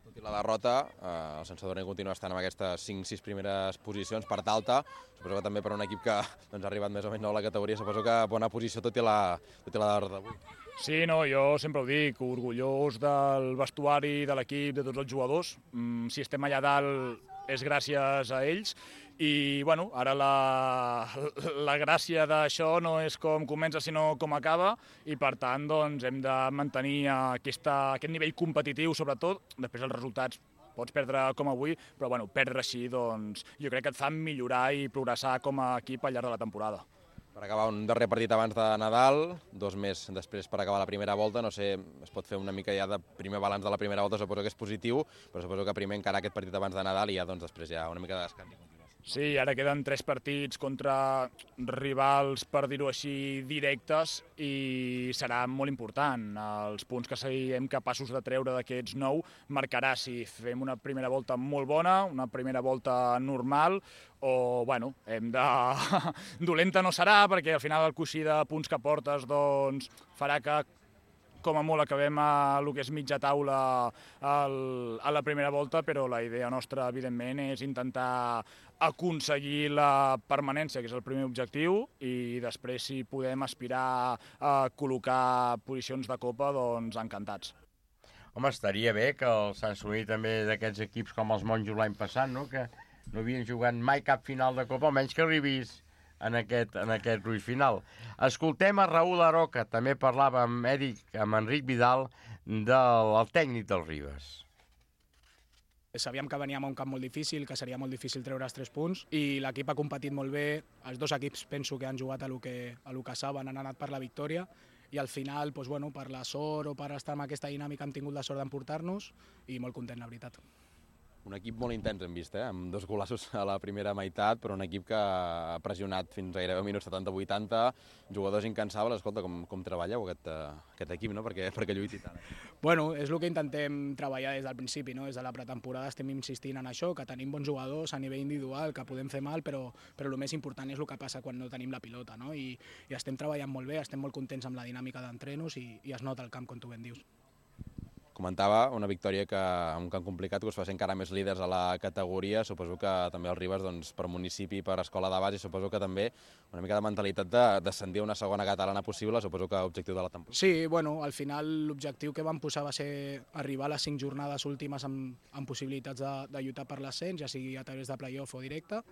Tot i la derrota, el Sant Sadurní continua estant en aquestes 5-6 primeres posicions, part alta. Suposo que també per un equip que ha arribat més o menys nou a la categoria, suposo que bona posició tot i la derrota d'avui. Sí, jo sempre ho dic, orgullós del vestuari, de l'equip, de tots els jugadors. Si estem allà dalt és gràcies a ells i ara la gràcia d'això no és com comença sinó com acaba i per tant hem de mantenir aquest nivell competitiu sobretot, després els resultats pots perdre com avui, però perdre així jo crec que et fa millorar i progressar com a equip al llarg de la temporada. Per acabar un darrer partit abans de Nadal, 2 més després per acabar la primera volta, no sé, es pot fer una mica ja de primer balanç de la primera volta, suposo que és positiu, però suposo que primer encara aquest partit abans de Nadal i ja doncs després ja una mica de descans. Sí, ara queden 3 partits contra rivals, per dir-ho així, directes i serà molt important. Els punts que siguem capaços de treure d'aquests 9 marcarà si fem una primera volta molt bona, una primera volta normal o, bueno, dolenta no serà perquè al final el coixí de punts que portes doncs farà que com a molt acabem a el que és mitja taula a la primera volta, però la idea nostra, evidentment, és intentar aconseguir la permanència, que és el primer objectiu, i després, si podem aspirar a col·locar posicions de Copa, doncs encantats. Home, estaria bé que el Sant Sadurní també d'aquests equips com els monjos l'any passat, no? Que no havien jugat mai cap final de Copa, almenys que arribis en aquest gruix final. Escoltem a Raül Aroca, també parlava amb Enric Vidal, del tècnic del Ribes. Sabíem que veníem a un camp molt difícil, que seria molt difícil treure els 3 punts, i l'equip ha competit molt bé. Els 2 equips penso que han jugat a lo que saben, han anat per la victòria, i al final, doncs, bueno, per la sort o per estar en aquesta dinàmica hem tingut la sort d'emportar-nos, i molt content, la veritat. Un equip molt intens hem vist, amb 2 golassos a la primera meitat, però un equip que ha pressionat fins gairebé minuts 70-80, jugadors incansables. Escolta, com treballeu aquest equip, no? Perquè lluiti tant. Bueno, és el que intentem treballar des del principi, no? Des de la pretemporada estem insistint en això, que tenim bons jugadors a nivell individual, que podem fer mal, però el més important és el que passa quan no tenim la pilota, no? I estem treballant molt bé, estem molt contents amb la dinàmica d'entrenos i es nota el camp, com tu ben dius. Comentava una victòria que en un camp complicat que us fa ser encara més líders a la categoria. Suposo que també el Ribes, doncs, per municipi, per escola de base, suposo que també una mica de mentalitat de descendir a una segona catalana possible, suposo que objectiu de la temporada. Sí, bueno, al final l'objectiu que vam posar va ser arribar a les 5 jornades últimes amb possibilitats de lluitar per l'ascens, ja sigui a través de play-off o directe,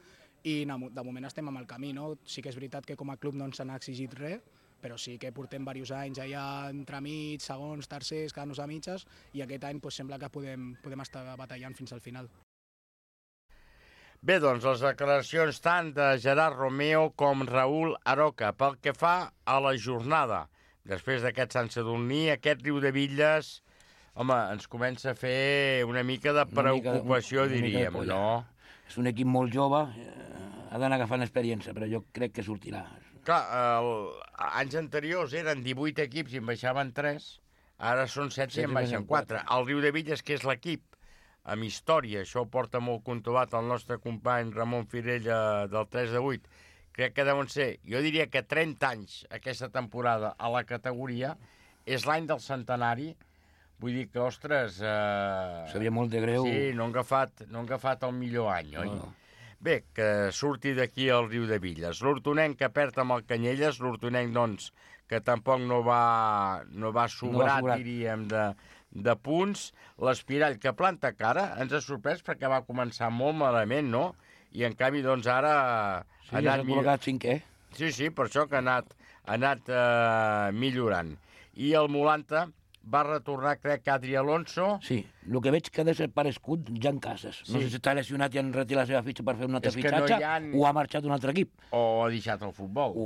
i de moment estem amb el camí, no? Sí que és veritat que com a club no ens n'ha exigit res, però sí que portem diversos anys allà entremig, segons, tercers, quedant-nos a mitges, i aquest any sembla que podem estar batallant fins al final. Bé, doncs, les declaracions tant de Gerard Romeo com Raül Aroca. Pel que fa a la jornada, després d'aquest Sant Sadurní, aquest Riudebitlles, home, ens comença a fer una mica de preocupació, diríem, no? És un equip molt jove, ha d'anar agafant experiència, però jo crec que sortirà. Clar, anys anteriors eren 18 equips i en baixaven 3, ara són 7 i en baixen 4. El Riudebitlles, que és l'equip amb història, això ho porta molt controlat el nostre company Ramon Firella del 3 de 8, crec que deuen ser, jo diria que 30 anys aquesta temporada a la categoria, és l'any del centenari, vull dir que, ostres... Seria molt de greu. Sí, no han agafat el millor any, oi? No. Bé, que surti d'aquí el Riudebitlles. L'Hortonenc que perd amb el Canyelles, l'Hortonenc, doncs, que tampoc no va sobrat, diríem, de punts. L'Espirall, que planta cara, ens ha sorprès perquè va començar molt malament, no? I, en canvi, doncs, ara... Sí, ja s'ha col·locat 5è. Sí, per això que ha anat millorant. I el Molanta va retornar, crec, que Adri Alonso. Sí, el que veig que ha de ser parescut Jan Casas. No sé si està lesionat i han retirat la seva fitxa per fer un altre fitxatge, o ha marxat un altre equip. O ha deixat el futbol.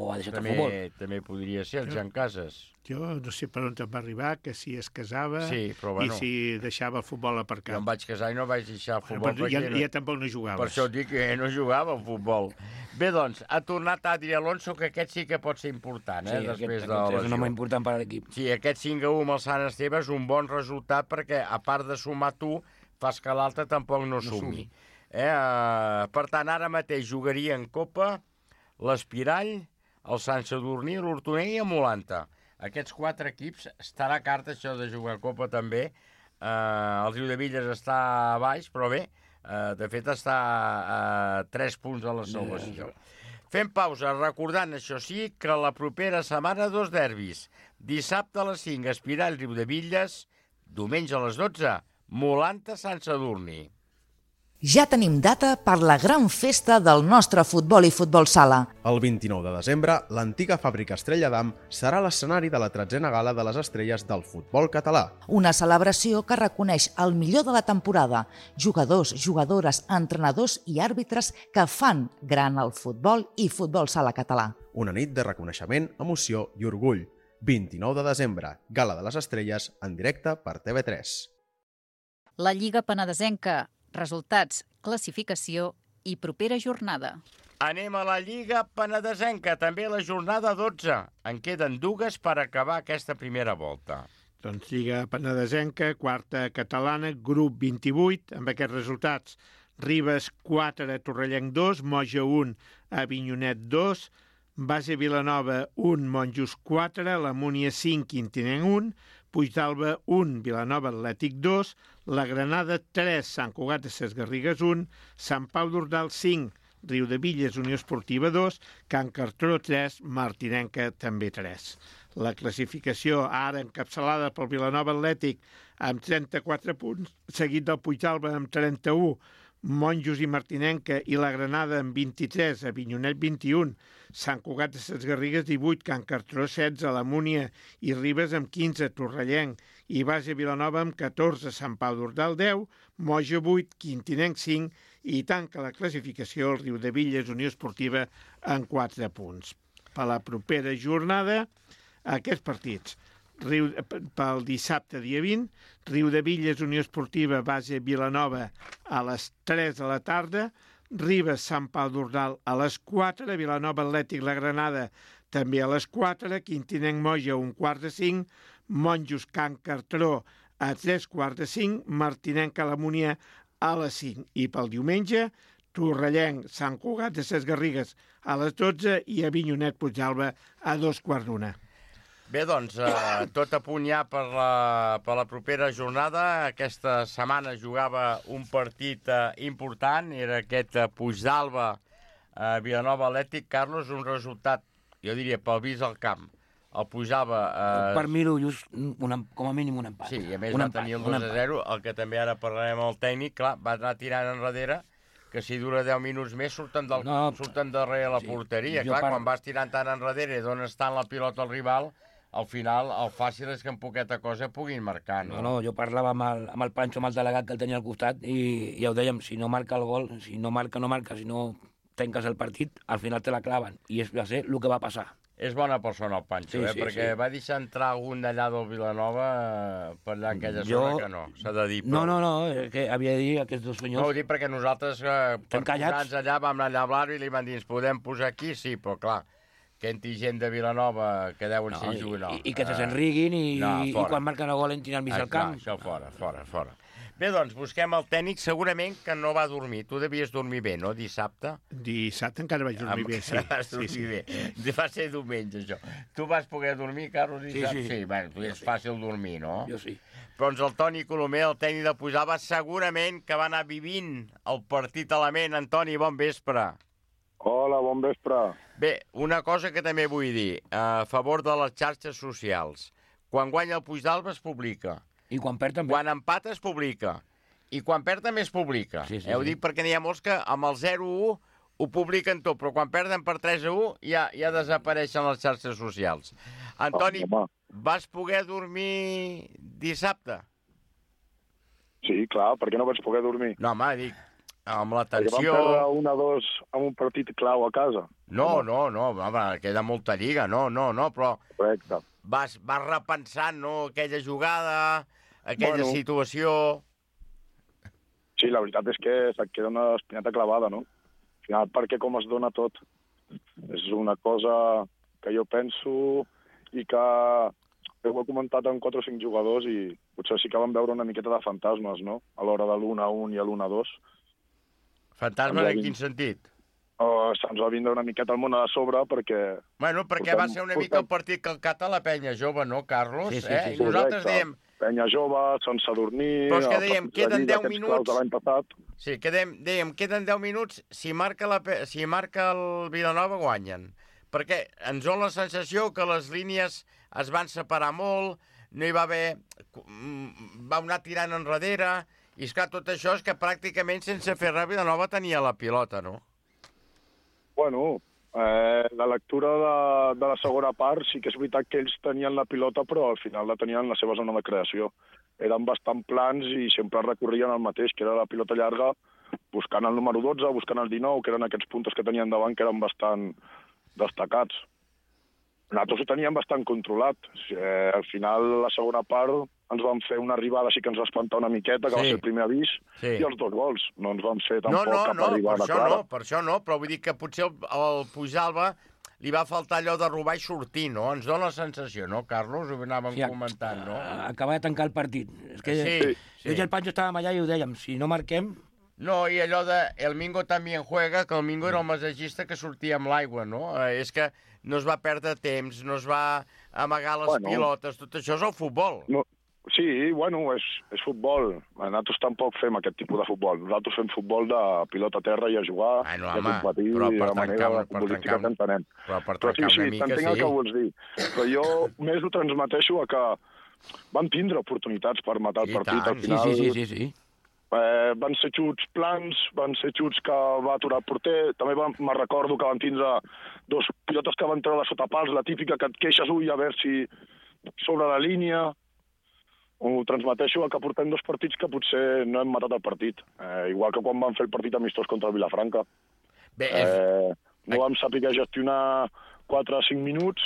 També podria ser el Jan Casas. Jo no sé per on em va arribar, que si es casava i si deixava el futbol aparcat. Jo em vaig casar i no vaig deixar el futbol. Ja tampoc no jugaves. Per això dic que no jugava al futbol. Bé, doncs, ha tornat Adri Alonso, que aquest sí que pot ser important, després de la lesió. És un home important per a l'equip. Sí, aquest 5-1 amb el Sant Esteve és un bon resultat perquè, a part de sumar tu, fas que l'altre tampoc no sumi. Per tant, ara mateix jugaria en Copa l'Espirall, el Sant Sadurní, l'Hortonenc i el Molanta. Aquests 4 equips estarà a carta això de jugar a Copa també. El Riudebitlles està a baix, però bé, de fet està a 3 punts a la salvació. Fem pausa, recordant, això sí, que la propera setmana 2 derbis. Dissabte a les 5, Espirall, Riudebitlles, diumenge a les 12, Molanta, Sant Sadurní. Ja tenim data per la gran festa del nostre futbol i futbol sala. El 29 de desembre, l'antiga fàbrica Estrella d'Am serà l'escenari de la 13a gala de les estrelles del futbol català. Una celebració que reconeix el millor de la temporada, jugadors, jugadores, entrenadors i àrbitres que fan gran el futbol i futbol sala català. Una nit de reconeixement, emoció i orgull. 29 de desembre, Gala de les Estrelles, en directe per TV3. La Lliga Penedesenca. Resultats, classificació i propera jornada. Anem a la Lliga Penedesenca, també la jornada 12. En queden 2 per acabar aquesta primera volta. Doncs Lliga Penedesenca, quarta catalana, grup 28, amb aquests resultats. Ribes 4, Torrellenc 2, Moja 1, Avinyonet 2, Base Vilanova 1, Monjos 4, la Múnia 5, Quintinenc 1, Puigdàlber 1, Vilanova Atlètic 2, la Granada 3, Sant Cugat de Ses Garrigues 1, Sant Pau d'Ordal 5, Riudebitlles Unió Esportiva 2, Can Cartró 3, Martinenca també 3. La classificació ara encapçalada pel Vilanova Atlètic amb 34 punts, seguit del Puigdàlber amb 31, Monjos i Martinenca i la Granada amb 23, Avinyonet 21, Sant Cugat de Ses Garrigues 18, Can Cartró 16, la Múnia i Ribes amb 15, Torrellenc i Base Vilanova amb 14, Sant Pau d'Ordal 10, Moja 8, Quintinenc 5 i tanca la classificació el Riudebitlles Unió Esportiva en 4 punts. Per la propera jornada, aquests partits. Pel dissabte, dia 20, Riudebitlles Unió Esportiva Base Vilanova a les 3 de la tarda, Ribes Sant Pau d'Ordal a les 4, Vilanova Atlètic La Granada també a les 4, Quintinenc Moja 1:45, Monjos Can Cartró a 3:45, Martinenc La Múnia a les 5. I pel diumenge, Torrellenc Sant Cugat de Ses Garrigues a les 12 i Avinyonet Puigdàlber a 2:15. Bé, doncs, tot a punt ja per la propera jornada. Aquesta setmana jugava un partit important, era aquest Puigdàlber-Vilanova Atlètic. Carlos, un resultat, jo diria, pel vist al camp. El Puigdàlber... Per mi, just com a mínim un empat. Sí, i a més va tenir el 2-0, el que també ara parlarem amb el tècnic, clar, va anar tirant enrere, que si dura 10 minuts més surten darrere la porteria. Clar, quan vas tirant tant enrere i dones tant la pilota al rival, al final el fàcil és que en poqueta cosa puguin marcar, no? No, jo parlava amb el Pancho, amb el delegat que el tenia al costat, i ja ho dèiem, si no marca el gol, si no marca, si no trenques el partit, al final te la claven. I va ser el que va passar. És bona persona el Pancho, perquè va deixar entrar algun d'allà del Vilanova per allà aquella zona que no, s'ha de dir. No, que havia de dir aquests dos senyors... No, ho dic perquè nosaltres, per posar-nos allà, vam anar allà a Blaro i li van dir, ens podem posar aquí? Sí, però clar, que entri gent de Vilanova que deuen ser jugadors. I que se s'enriguin i quan marquen el gol entrin al mig del camp. Això fora. Bé, doncs, busquem el tècnic, segurament que no va dormir. Tu devies dormir bé, no, dissabte? Dissabte encara vaig dormir bé, sí. Vas dormir bé. Va ser diumenge, això. Tu vas poder dormir, Carlos, dissabte? Sí. Bueno, és fàcil dormir, no? Jo sí. Però el Toni Colomer, el tècnic de Puigdàlber, segurament que va anar vivint el partit a la ment. Antoni, bon vespre. Hola, bon vespre. Bé, una cosa que també vull dir, a favor de les xarxes socials. Quan guanya el Puigdàlber es publica. I quan perd també. Quan empata es publica. I quan perd també es publica. Sí. Ho dic perquè n'hi ha molts que amb el 0-1 ho publiquen tot, però quan perden per 3-1 ja desapareixen les xarxes socials. Antoni, vas poder dormir dissabte? Sí, clar, per què no vaig poder dormir? No, home, dic, amb la tensió... Perquè vam perdre 1-2 amb un partit clau a casa. No, home, queda molta lliga, no, però... Correcte. Vas repensant, no?, aquella jugada, aquella situació... Sí, la veritat és que se't queda una espineta clavada, no? Al final, perquè com es dona tot. És una cosa que jo penso i que ho he comentat amb 4 o 5 jugadors i potser sí que vam veure una miqueta de fantasmes, no?, a l'hora de l'1-1 i a l'1-2. Fantasmes en quin sentit? Se'ns va vindre una miqueta el món a sobre perquè... Bueno, perquè va ser una mica el partit que el cata la penya jove, no, Carlos? Sí. I nosaltres dèiem... Penya jove, sense dormir... Però és que dèiem, queden 10 minuts... Sí, dèiem, queden 10 minuts, si marca el Vilanova guanyen. Perquè ens dona la sensació que les línies es van separar molt, no hi va haver... va anar tirant enrere, i esclar, tot això és que pràcticament sense fer res Vilanova tenia la pilota, no? Bueno, la lectura de la segona part sí que és veritat que ells tenien la pilota, però al final la tenien en la seva zona de creació. Eren bastant plans i sempre recorrien el mateix, que era la pilota llarga, buscant el número 12, buscant el 19, que eren aquests puntos que tenien davant, que eren bastant destacats. Nosaltres ho teníem bastant controlat. Al final, la segona part, ens vam fer una arribada, sí que ens va espantar una miqueta, que va ser el primer avís, i els 2 gols. No ens vam fer tampoc cap arribada clara. Per això no, però vull dir que potser el Puigdàlber li va faltar allò de robar i sortir, no? Ens dona la sensació, no, Carlos? Ho anàvem comentant, no? Acaba de tancar el partit. És que jo i el Pancho estàvem allà i ho dèiem, si no marquem... No, i allò de El Mingo també juega, que el Mingo era el massatgista que sortia amb l'aigua, no? És que no es va perdre temps, no es va amagar les pilotes, tot això és el futbol. Sí, bueno, és futbol. Nosaltres tampoc fem aquest tipus de futbol. Nosaltres fem futbol de pilota a terra i a jugar, i a competir, de la manera futbolística que entenem. Però sí, t'entenc el que vols dir. Però jo més ho transmeteixo a que van tindre oportunitats per matar el partit. Al final, sí. Van ser xuts plans, van ser xuts que va aturar el porter. També me recordo que van tindre 2 pilotes que van treure sota pals, la típica que et queixes, a veure si sobre la línia. Ho transmeteixo que portem 2 partits que potser no hem matat el partit. Igual que quan vam fer el partit amistós contra el Vilafranca. No vam saber gestionar 4 o 5 minuts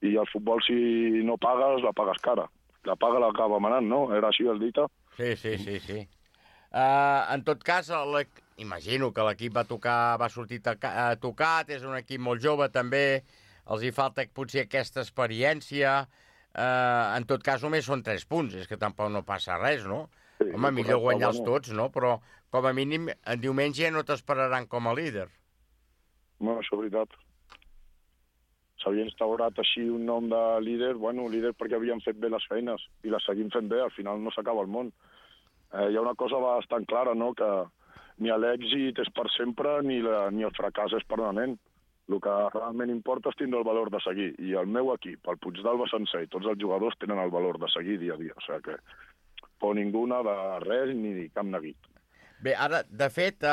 i el futbol, si no pagues, la pagues cara. La paga l'acaba manant, no? Era així el dita. Sí. En tot cas, imagino que l'equip va sortir tocat, és un equip molt jove també, els hi falta potser aquesta experiència. En tot cas, només són 3 punts, és que tampoc no passa res, no? Home, millor guanyar-los tots, no? Però, com a mínim, en diumenge no t'esperaran com a líder. No, això és veritat. S'havia instaurat així un nom de líder, líder perquè havien fet bé les feines i les seguim fent bé, al final no s'acaba el món. Hi ha una cosa bastant clara, no?, que ni l'èxit és per sempre ni el fracàs és permanent. El que realment importa és tindre el valor de seguir. I el meu equip, el Puigdàlber sencer i tots els jugadors tenen el valor de seguir dia a dia. O sigui que por ninguna de res ni cap neguit. Bé, ara, de fet,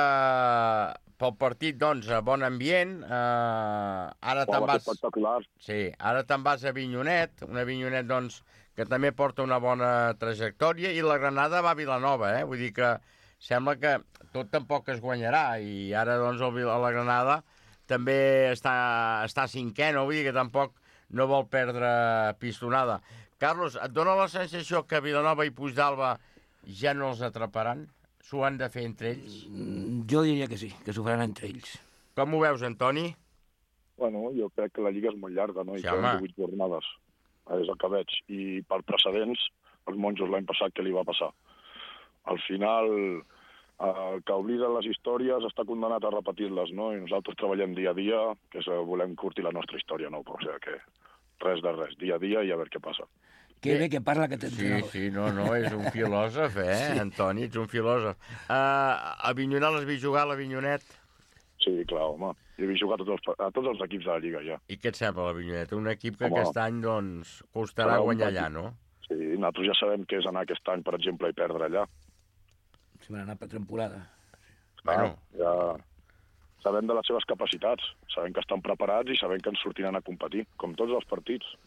pel partit, doncs, bon ambient. Ara te'n vas... espectacular. Sí, ara te'n vas a Avinyonet, un Avinyonet, doncs, que també porta una bona trajectòria, i la Granada va a Vilanova, Vull dir que sembla que tot tampoc es guanyarà, i ara, doncs, la Granada també està cinquè, no? Vull dir que tampoc no vol perdre pistonada. Carlos, et dona la sensació que Vilanova i Puigdàlber ja no els atraparan? S'ho han de fer entre ells? Jo diria que sí, que s'ho faran entre ells. Com ho veus, Antoni? Bueno, jo crec que la Lliga és molt llarga, no? I queden 18 jornades, és el que veig. I per precedents, els monjos l'any passat, què li va passar? Al final, el que oblida les històries està condenat a repetir-les, no? I nosaltres treballem dia a dia, que volem curtir la nostra història, no? O sigui que res de res, dia a dia i a veure què passa. Que bé que parla aquest entrenador. Sí, no, és un filòsof, sí. Antoni, ets un filòsof. A Avinyonet l'has vist jugar, a l'Avinyonet? Sí, clar, home. Jo he vist jugar a tots els equips de la Lliga, ja. I què et sembla, l'Avinyonet? Un equip que aquest any, doncs, costarà guanyar allà, no? Sí, nosaltres ja sabem què és anar aquest any, per exemple, i perdre allà. Si m'han anat per temporada. Bueno, ja sabem de les seves capacitats, sabem que estan preparats i sabem que ens sortiran a competir, com tots els partits.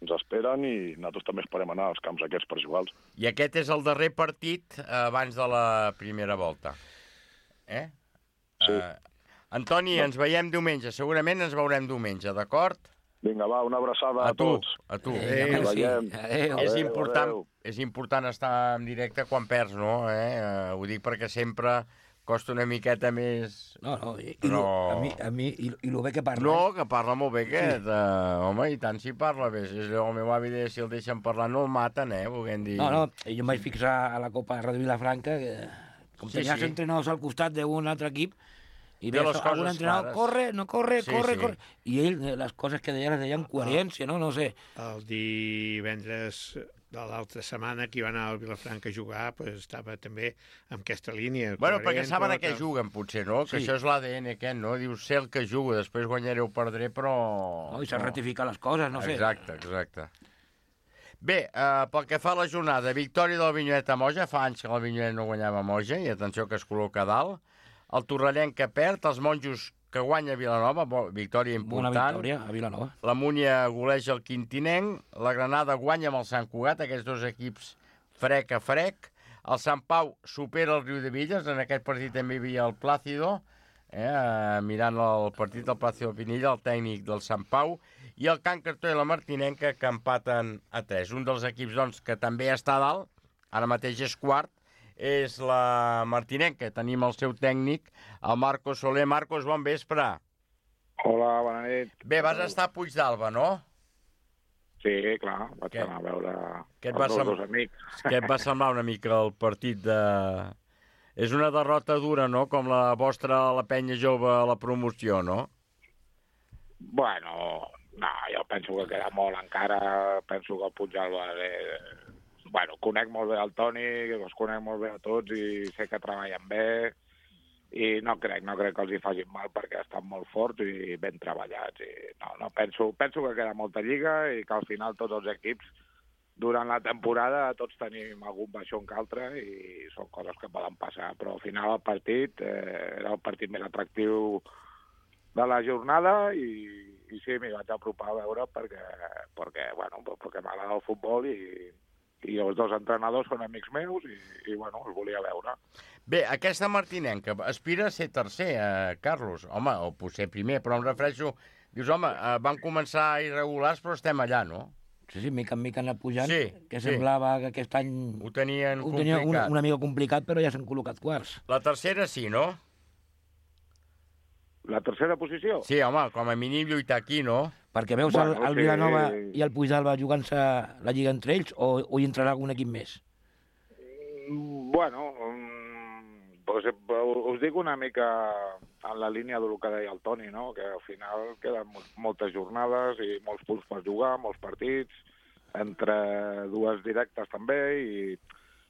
Ens esperen i nosaltres també esperem anar als camps aquests per jugar-los. I aquest és el darrer partit abans de la primera volta. Sí. Antoni, ens veiem diumenge. Segurament ens veurem diumenge, d'acord? Vinga, va, una abraçada a tots. A tu. Adéu. És important estar en directe quan perds, no? Ho dic perquè sempre costa una miqueta més... No, a mi, i el bé que parla. No, que parla molt bé aquest. Home, i tant si parla bé. El meu avi deia, si el deixen parlar no el maten, volguem dir... No, jo em vaig fixar a la Copa de Vilafranca, que com tenies entrenadors al costat d'un altre equip, i veus algun entrenador, corre, no corre, corre. I ell, les coses que deia, les deia amb coherència, no sé. El divendres de l'altra setmana que hi va anar al Vilafranca a jugar, estava també en aquesta línia. Bueno, perquè saben a què juguen, potser, no? Que això és l'ADN aquest, no? Dius, sé el que jugo, després guanyaré o perdré, però... No, i s'ha ratificat les coses, no sé. Exacte. Bé, pel que fa a la jornada, victòria del Avinyonet a Moja, fa anys que l'Avinyonet no guanyava a Moja, i atenció que es col·loca a dalt. El Torrellenc que perd, els monjos que guanya a Vilanova, victòria important. Una victòria a Vilanova. La Múnia goleja el Quintinenc, la Granada guanya amb el Sant Cugat, aquests dos equips frec a frec. El Sant Pau supera el Riudebitlles, en aquest partit també hi havia el Plàcido, mirant el partit del Palacio de Pinilla, el tècnic del Sant Pau, i el Can Cartó i la Martinenca, que empaten a 3. Un dels equips doncs, que també està a dalt, ara mateix és quart, és la Martinenca. Tenim el seu tècnic, el Marcos Soler. Marcos, bon vespre. Hola, bona nit. Bé, vas estar a Puigdàlber, no? Sí, clar, vaig anar a veure els dos amics. Què et va semblar una mica el partit de... És una derrota dura, no?, com la vostra, la penya jove a la promoció, no? Bueno, no, jo penso que queda molt encara. Penso que el Puigdàlber... Bueno, conec molt bé el Toni, els conec molt bé a tots i sé que treballen bé i no crec que els hi facin mal perquè estan molt forts i ben treballats. I no, penso que queda molta lliga i que al final tots els equips durant la temporada tots tenim algun baixón que altre i són coses que poden passar, però al final el partit era el partit més atractiu de la jornada i sí, m'hi vaig apropar a veure perquè m'agrada el futbol i els dos entrenadors són amics meus i bueno, els volia veure. Bé, aquesta Martinenca aspira a ser tercer, Carlos. Home, o potser primer, però em refereixo... Dius, home, van començar irregulars, però estem allà, no? Sí, mica en mica han anat pujant, que semblava que aquest any... Ho tenien complicat. Una mica complicat, però ja s'han col·locat quarts. La tercera sí, no? La tercera posició? Sí, home, com a mínim lluitar aquí, no? Perquè veus el Vilanova i el Puigdàlber jugant-se la lliga entre ells o hi entrarà algun equip més? Bueno, pues, us dic una mica en la línia del que deia el Toni, no? Que al final queden moltes jornades i molts punts per jugar, molts partits, entre dues directes també, i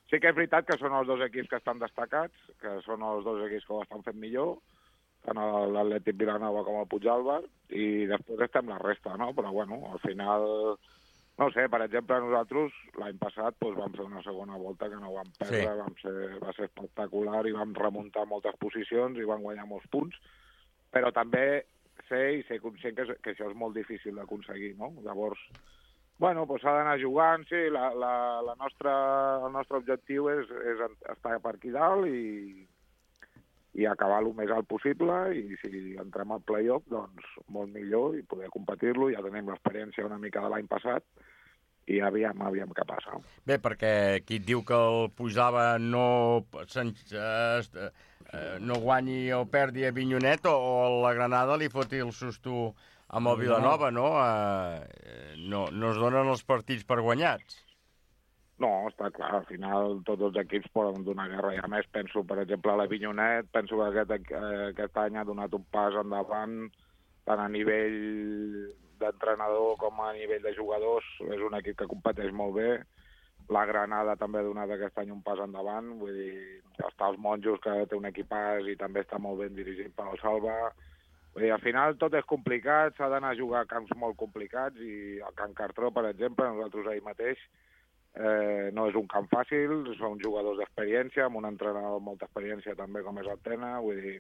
sí que és veritat que són els dos equips que estan destacats, que són els dos equips que ho estan fent millor, tant l'Atlètic Vilanova com el Puigdàlber, i després estem la resta, no? Però, bueno, al final, no sé, per exemple, nosaltres l'any passat vam fer una segona volta que no vam perdre, va ser espectacular i vam remuntar moltes posicions i vam guanyar molts punts, però també sé conscient que això és molt difícil d'aconseguir, no? Llavors, bueno, s'ha d'anar jugant, sí, el nostre objectiu és estar per aquí dalt i acabar el més alt possible, i si entrem al play-off, doncs molt millor, i poder competir-lo. Ja tenim l'experiència una mica de l'any passat, i aviam què passa. Bé, perquè qui et diu que el Puigdàlber no guanyi o perdi a Avinyonet, o la Granada li foti el susto amb el Vilanova, no? No es donen els partits per guanyats. No, està clar, al final tots els equips poden donar guerra, i a més penso, per exemple, a l'Avinyonet, penso que aquest any ha donat un pas endavant, tant a nivell d'entrenador com a nivell de jugadors, és un equip que competeix molt bé. La Granada també ha donat aquest any un pas endavant, vull dir, està els Monjos, que té un equipàs i també està molt ben dirigit per el Salva. Vull dir, al final tot és complicat, s'ha d'anar a jugar a camps molt complicats, i el Can Cartró, per exemple, nosaltres ahir mateix, no és un camp fàcil, són jugadors d'experiència, amb un entrenador amb molta experiència també, com és el Tena. Vull dir,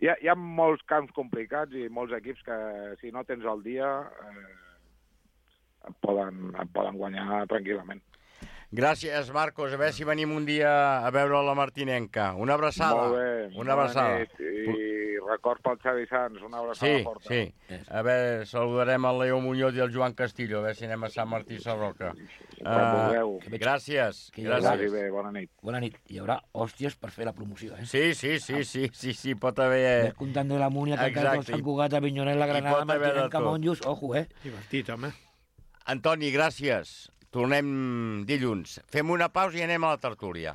hi ha molts camps complicats i molts equips que, si no tens el dia, et poden guanyar tranquil·lament. Gràcies, Marcos. A veure si venim un dia a veure la Martinenca. Una abraçada. Molt bé. Una abraçada. I record pel Xavi Sanz, una abraçada forta. Sí. A veure, saludarem el Leo Muñoz i el Joan Castillo, a veure si anem a Sant Martí Sarroca. Gràcies. Gràcies. Bé, bona nit. Bona nit. Hi haurà hòsties per fer la promoció, eh? Sí, pot haver... Ves comptant de la Múnia, que encara Sant Cugat, Avinyonet, la Granada, Martinenca, Monjos, ojo, eh? Divertit, home. Antoni, gràcies. Tornem dilluns. Fem una pausa i anem a la tertúlia.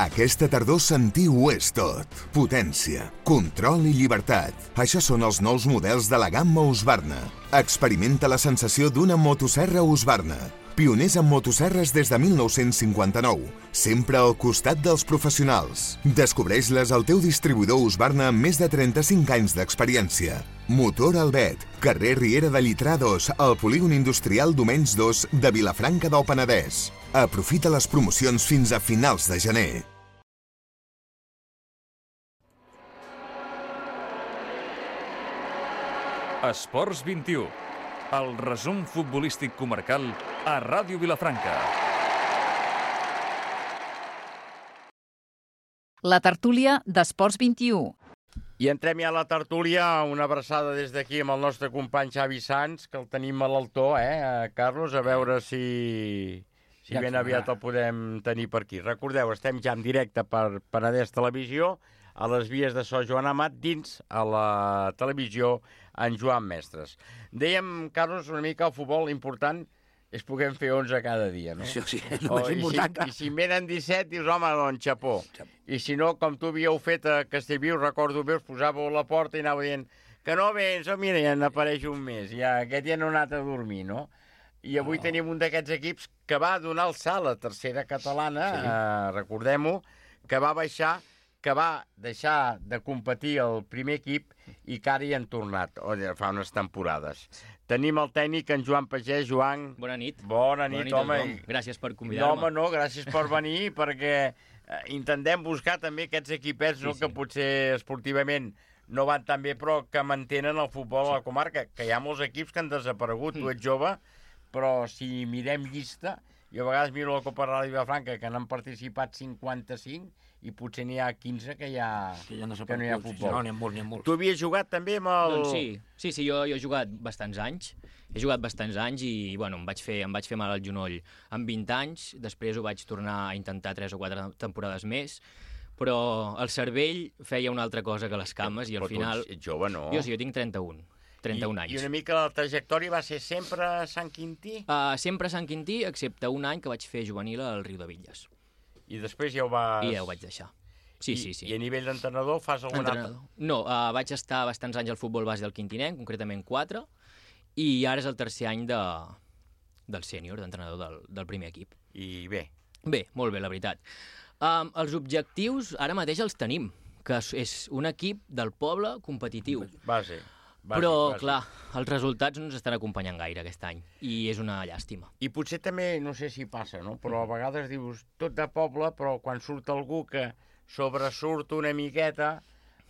Aquesta tardor sentiu ho és tot. Potència, control i llibertat. Això són els nous models de la gamma Husqvarna. Experimenta la sensació d'una motosserra Husqvarna. Pioners en motosserres des de 1959. Sempre al costat dels professionals. Descobreix-les al teu distribuïdor Husqvarna amb més de 35 anys d'experiència. Motor Albet, carrer Riera de Llitrà 2, al polígon industrial Domenys 2 de Vilafranca del Penedès. Aprofita les promocions fins a finals de gener. Esports 21. El resum futbolístic comarcal a Ràdio Vilafranca. La tertúlia d'Esports 21. I entrem ja a la tertúlia, una abraçada des d'aquí amb el nostre company Xavi Sans, que el tenim a l'altó, Carlos, a veure si ben aviat el podem tenir per aquí. Recordeu, estem ja en directe per Penedès Televisió, a les vies de so Joan Amat, dins a la televisió en Joan Mestres. Dèiem, Carlos, una mica el futbol important és poder fer 11 cada dia, no? Sí, és el més important. I si en venen 17, dius, home, doncs, xapó. I si no, com tu havíeu fet a Castellviu, recordo bé, us posàveu a la porta i anàveu dient que no vens, mira, ja n'apareix un mes, ja aquest ja no ha anat a dormir, no? I avui tenim un d'aquests equips que va donar el salt a tercera catalana, recordem-ho, que va baixar, que va deixar de competir el primer equip i que ara hi han tornat, fa unes temporades. Tenim el tècnic, en Joan Pagès. Joan... Bona nit. Bona nit, home. Gràcies per convidar-me. No, home, no, gràcies per venir, perquè intentem buscar també aquests equipets que potser esportivament no van tan bé, però que mantenen el futbol a la comarca, que hi ha molts equips que han desaparegut. Tu ets jove, però si mirem llista, jo a vegades miro la Copa Ràdio Vilafranca, que n'han participat 55, i potser n'hi ha 15 que no hi ha futbol. No, n'hi ha molts. Tu havies jugat també amb el... Doncs sí, jo he jugat bastants anys. He jugat bastants anys i, bueno, em vaig fer mal al genoll amb 20 anys. Després ho vaig tornar a intentar 3 o 4 temporades més. Però el cervell feia una altra cosa que les cames i al final... Però tu ets jove, no? Jo tinc 31 anys. I una mica la trajectòria va ser sempre a Sant Quintí? Sempre a Sant Quintí, excepte un any que vaig fer juvenil al Riudebitlles. I després ja ho vas... I ja ho vaig deixar. Sí. I a nivell d'entrenador fas algun altre? No, vaig estar bastants anys al futbol base del Quintinenc, concretament 4, i ara és el tercer any del sènior, d'entrenador del primer equip. I bé? Bé, molt bé, la veritat. Els objectius ara mateix els tenim, que és un equip del poble competitiu. Base. Però, clar, els resultats no ens estan acompanyant gaire aquest any, i és una llàstima. I potser també, no sé si passa, no? Però a vegades dius tot de poble, però quan surt algú que sobresurt una miqueta,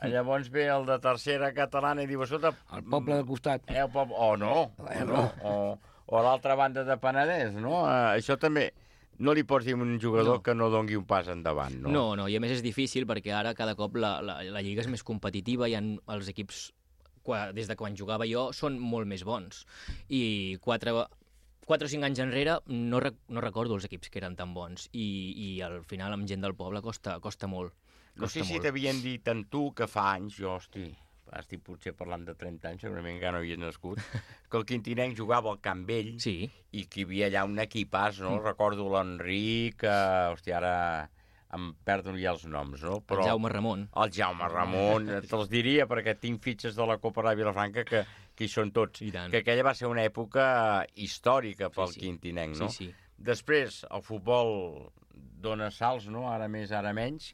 llavors ve el de tercera catalana i diu, escolta... El poble del costat. O a l'altra banda de Penedès, no? Això també... No li pots dir a un jugador que no dongui un pas endavant, no? No, i a més és difícil perquè ara cada cop la lliga és més competitiva, hi ha els equips... des de quan jugava jo, són molt més bons. I 4 o 5 anys enrere no recordo els equips que eren tan bons. I al final amb gent del poble costa molt. No sé si t'havien dit en tu que fa anys, jo, estic potser parlant de 30 anys, segurament encara no havies nascut, que el Quintinenc jugava al Camp Vell i que hi havia allà un equipàs, no? Recordo l'Enric, ara... em perdo ja els noms, no? Però el Jaume Ramon. El Jaume Ramon, te'ls diria, perquè tinc fitxes de la Copa Ràdio Vilafranca que hi són tots. Que aquella va ser una època històrica pel Quintinenc, no? Sí. Després, el futbol dona salts, no? Ara més, ara menys.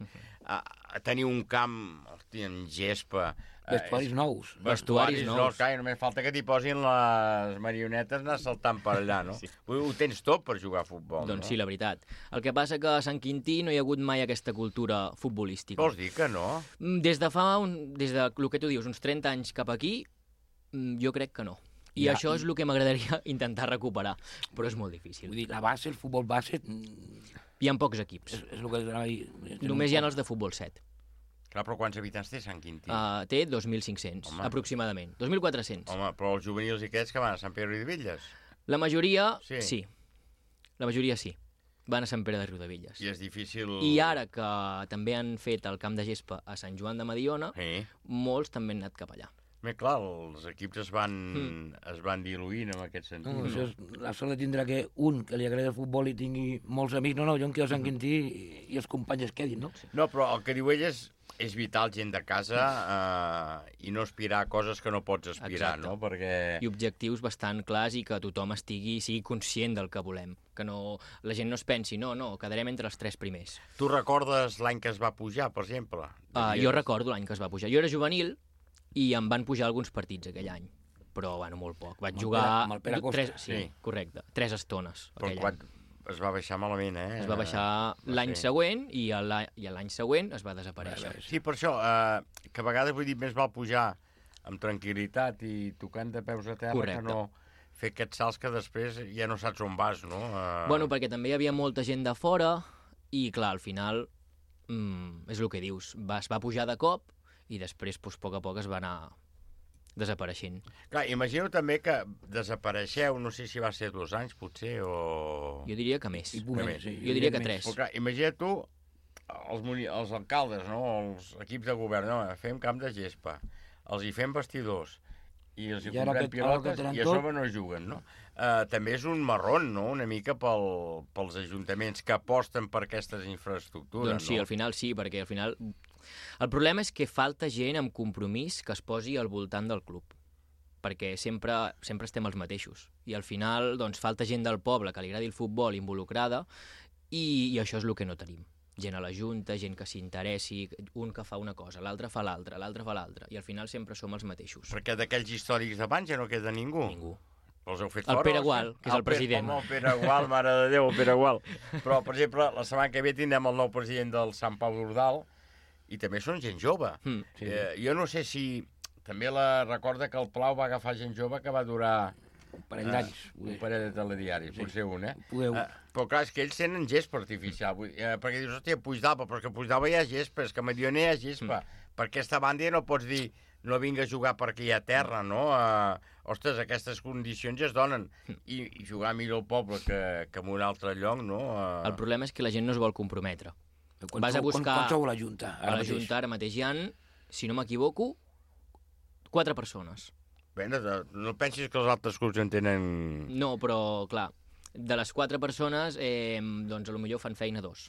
Tenir un camp, en gespa... Vestuaris nous. Vestuaris nous. Clar, només falta que t'hi posin les marionetes anar saltant per allà, no? Ho tens tot per jugar a futbol, doncs sí, la veritat. El que passa que a Sant Quintí no hi ha hagut mai aquesta cultura futbolística. Vols dir que no? Des de el que tu dius, uns 30 anys cap aquí, jo crec que no. I això és el que m'agradaria intentar recuperar, però és molt difícil. Vull dir, la base, el futbol base... Hi ha pocs equips. És el que anava a dir. Només hi ha els de futbol 7. Clar, però quants habitants té Sant Quintí? Té 2.500, aproximadament. 2.400. Home, però els juvenils i aquests que van a Sant Pere de Riudebitlles? La majoria, sí. La majoria sí. Van a Sant Pere de Riudebitlles. I és difícil... I ara que també han fet el camp de gespa a Sant Joan de Mediona, molts també han anat cap allà. Bé, clar, els equips es van diluint en aquest sentit. No, això és la sort de tindre que un que li agrada el futbol i tingui molts amics. No, jo em quedo a Sant Quintí i els companys es quedin, no? No, però el que diu ell és vital, gent de casa, i no aspirar a coses que no pots aspirar, no? Perquè... I objectius bastant clars i que tothom sigui conscient del que volem. Que la gent no es pensi, no, quedarem entre els 3 primers. Tu recordes l'any que es va pujar, per exemple? Jo recordo l'any que es va pujar. Jo era juvenil i em van pujar alguns partits aquell any. Però, bueno, molt poc. Vaig jugar... Amb el Pere Costa. Sí, correcte. 3 estones aquell any. Es va baixar malament, Es va baixar l'any següent i l'any següent es va desaparèixer. Sí, per això, que a vegades vull dir més val pujar amb tranquil·litat i tocant de peus a terra que no fer aquests salts que després ja no saps on vas, no? Bueno, perquè també hi havia molta gent de fora i, clar, al final és el que dius. Es va pujar de cop i després, a poc a poc, es va anar desapareixent. Clar, imagino també que desapareixeu, no sé si va ser 2 anys, potser, o... Jo diria que més. Sí. Jo diria que 3. Però clar, imagina tu, els alcaldes, no? Els equips de govern, no? Fem camp de gespa, els hi fem vestidors, i els hi comprem pilotes, i a sobre no juguen, no? També és un marrón, no?, una mica pels ajuntaments que aposten per aquestes infraestructures, doncs sí, no? al final sí, perquè al final... El problema és que falta gent amb compromís que es posi al voltant del club, perquè sempre estem els mateixos. I al final doncs, falta gent del poble que li agradi el futbol involucrada i això és el que no tenim. Gent a la junta, gent que s'interessi, un que fa una cosa, l'altre fa l'altra, i al final sempre som els mateixos. Perquè d'aquells històrics d'abans ja no queda ningú. Ningú. Els heu fet el fora? Pere Gual, que és el president. El Pere Gual, mare de Déu, el Pere Gual. Però, per exemple, la setmana que ve tindrem el nou president del Sant Pau d'Ordal i també són gent jove. Sí. Jo no sé si... També recorda que el Plau va agafar gent jove que va durar... Un parell d'anys. Un parell de telediaris, sí. Potser un, Però clar, és que ells tenen gespa artificial. Perquè dius, hòstia, Puigdalba, però és que Puigdalba hi ha gespa, és que a Mediona hi ha gespa. Per aquesta banda ja no pots dir no vinga a jugar perquè hi ha terra, no? Ostres, aquestes condicions ja es donen. I jugar millor al poble que en un altre lloc, no? El problema és que la gent no es vol comprometre. Vas a buscar... Quan sou a la Junta? A la Junta ara mateix hi ha, si no m'equivoco, 4 persones. Bé, no pensis que els altres clubs en tenen... No, però, clar, de les 4 persones, doncs potser fan feina 2.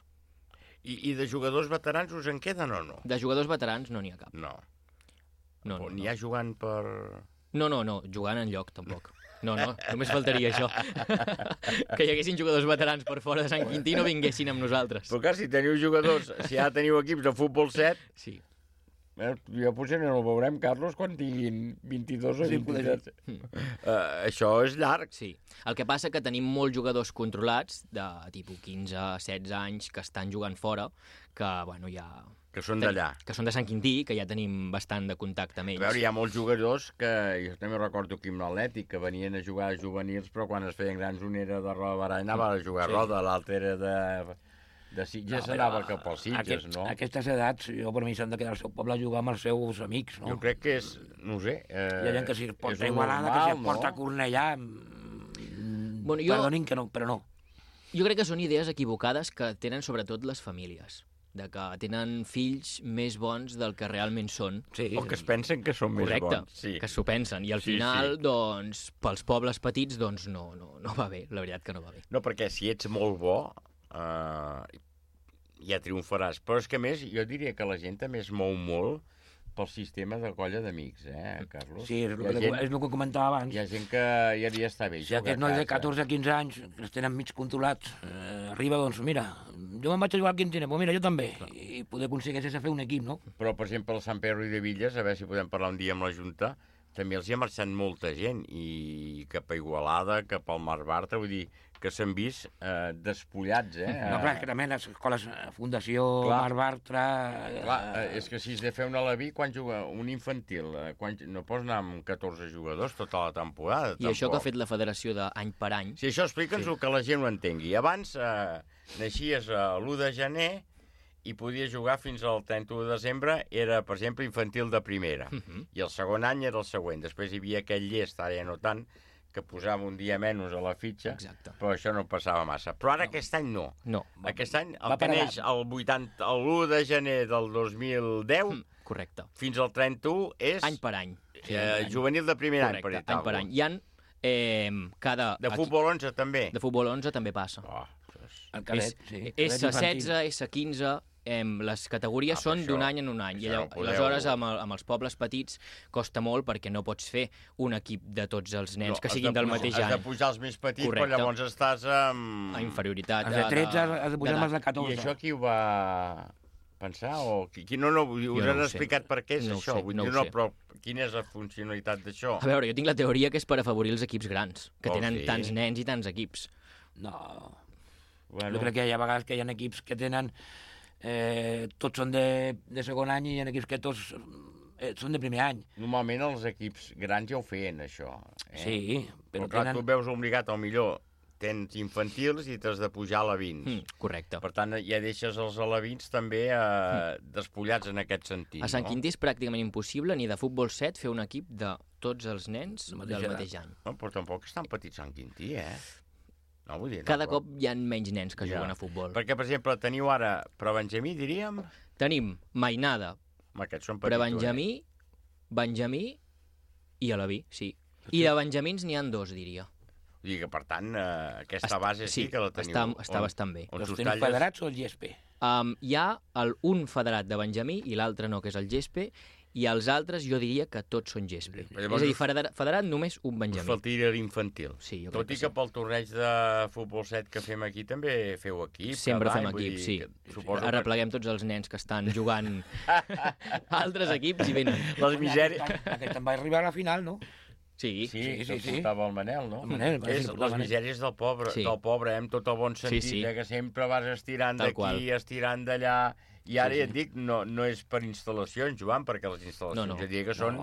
I de jugadors veterans us en queden o no? De jugadors veterans no n'hi ha cap. No. No, n'hi ha jugant per... No, jugant enlloc, tampoc. No, només faltaria això. Que hi haguessin jugadors veterans per fora de Sant Quintí no vinguessin amb nosaltres. Però clar, si teniu jugadors, si ja teniu equips de futbol 7... Sí. Jo potser no el veurem, Carlos, quan tinguin 22 o 27. Això és llarg. Sí. El que passa que tenim molts jugadors controlats, de tipus 15, 16 anys, que estan jugant fora, que, bueno, ja... Que són d'allà. Que són de Sant Quintí, que ja tenim bastant de contacte amb ells. A veure, hi ha molts jugadors que... Jo també recordo aquí amb l'Atlètic, que venien a jugar a juvenils, però quan es feien grans un era de Roda Barall, anava a jugar a Roda, l'altre era de Sitges, anava cap als Sitges, no? Aquestes edats, per mi, s'han de quedar al seu poble a jugar amb els seus amics, no? Jo crec que és, no ho sé... Hi ha gent que s'hi porta Igualada, que s'hi porta Cornellà... Perdonin que no, però no. Jo crec que són idees equivocades que tenen sobretot les famílies, de que tenen fills més bons del que realment són. Sí. O que es pensen que són més bons. Sí. Que s'ho pensen. I al final, doncs, pels pobles petits, doncs no va bé. La veritat que no va bé. No, perquè si ets molt bo, ja triomfaràs. Però és que, a més, jo diria que la gent també es mou molt pel sistema de colla d'amics, Carlos? Sí, és el que comentava abans. Hi ha gent que ja està bé. Si aquest noi de 14-15 anys, que els tenen mig controlats, arriba, doncs, mira, jo me'n vaig a jugar al Quintana, però mira, jo també. I poder aconseguir fer un equip, no? Però, per exemple, el Sant Pedro i de Villes, a veure si podem parlar un dia amb la Junta, també els hi ha marxat molta gent, i cap a Igualada, cap al Mar Bartra, vull dir que s'han vist despullats, No, clar, que també les escoles, Fundació, Mar Bartra... Clar, és que si has de fer un alabí, quan juga un infantil, no pots anar amb 14 jugadors tota la temporada. I això que ha fet la federació d'any per any... Sí, això explica'ns-ho, que la gent ho entengui. Abans naixies l'1 de gener i podies jugar fins al 31 de desembre, era, per exemple, infantil de primera. I el segon any era el següent. Després hi havia aquell llest, ara ja no tant, que posava un dia menys a la fitxa, però això no passava massa. Però ara aquest any no. Aquest any, el que neix l'1 de gener del 2010, correcte, fins al 31 és... Any per any. Juvenil de primer any, per any per any. Hi ha cada... De futbol 11 també? De futbol 11 també passa. El cadet, sí. S16, S15... les categories són d'un any en un any. I aleshores, amb els pobles petits, costa molt perquè no pots fer un equip de tots els nens que siguin del mateix any. Has de pujar els més petits, però llavors estàs amb... A inferioritat. Els de 13 has de pujar amb els de 14. I això qui ho va pensar? No, us han explicat per què és això? Però quina és la funcionalitat d'això? A veure, jo tinc la teoria que és per afavorir els equips grans, que tenen tants nens i tants equips. No. Jo crec que hi ha vegades que hi ha equips que tenen... tots són de segon any i hi ha equips que tots són de primer any. Normalment els equips grans ja ho feien, això. Sí, però clar, tu veus obligat, al millor, tens infantils i t'has de pujar a alevins. Correcte. Per tant, ja deixes els alevins també despullats en aquest sentit. A Sant Quintí és pràcticament impossible ni de futbol 7 fer un equip de tots els nens del mateix any. No, però tampoc és tan petit Sant Quintí, No, vull dir, cada cop hi ha menys nens que juguen a futbol. Perquè, per exemple, teniu ara Prebenjamí, diríem? Tenim Mainada, Prebenjamí, Benjamí i Aleví, sí. I de benjamins n'hi ha 2, diria. Vull dir que, per tant, aquesta base sí que la teniu. Està bastant bé. Els teniu federats o el GESPE? Hi ha un federat de Benjamí i l'altre no, que és el GESPE, i els altres jo diria que tots són GESPE. És a dir, federat només un Benjamí. Us faltaria l'infantil. Sí, tot i que pel torneig de futbol 7 que fem aquí també feu equip. Sempre fem equip, sí. Arrepleguem tots els nens que estan jugant a altres equips i venen. Les misèries... Aquest en va arribar a la final, no? Sí. Portava el Manel, no? És les misèries del pobre, amb tot el bon sentit, que sempre vas estirant d'aquí, estirant d'allà, i ara ja et dic, no és per instal·lacions, Joan, perquè les instal·lacions ja diria que són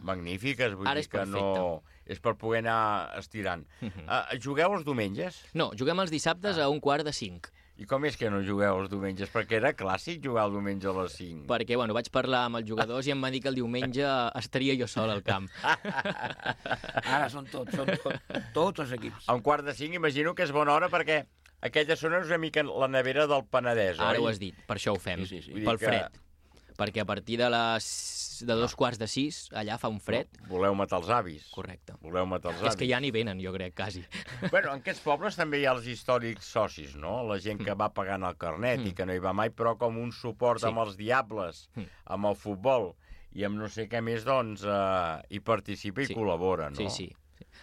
magnífiques, vull dir que no... És per poder anar estirant. Jugueu els diumenges? No, juguem els dissabtes a 4:45. I com és que no jugueu els diumenges? Perquè era clàssic jugar el diumenge a les 5. Perquè, vaig parlar amb els jugadors i em van dir que el diumenge estaria jo sol al camp. Ara són tots els equips. A 4:45 imagino que és bona hora perquè aquella zona és una mica la nevera del Penedès, oi? Ara ho has dit, per això ho fem, pel fred. Perquè a partir de 5:45, allà fa un fred. Voleu matar els avis. Correcte. Voleu matar els avis. És que ja n'hi venen, jo crec, quasi. Bueno, en aquests pobles també hi ha els històrics socis, no? La gent que va pagant el carnet i que no hi va mai, però com un suport amb els diables, amb el futbol i amb no sé què més, doncs, hi participa i col·labora, no? Sí.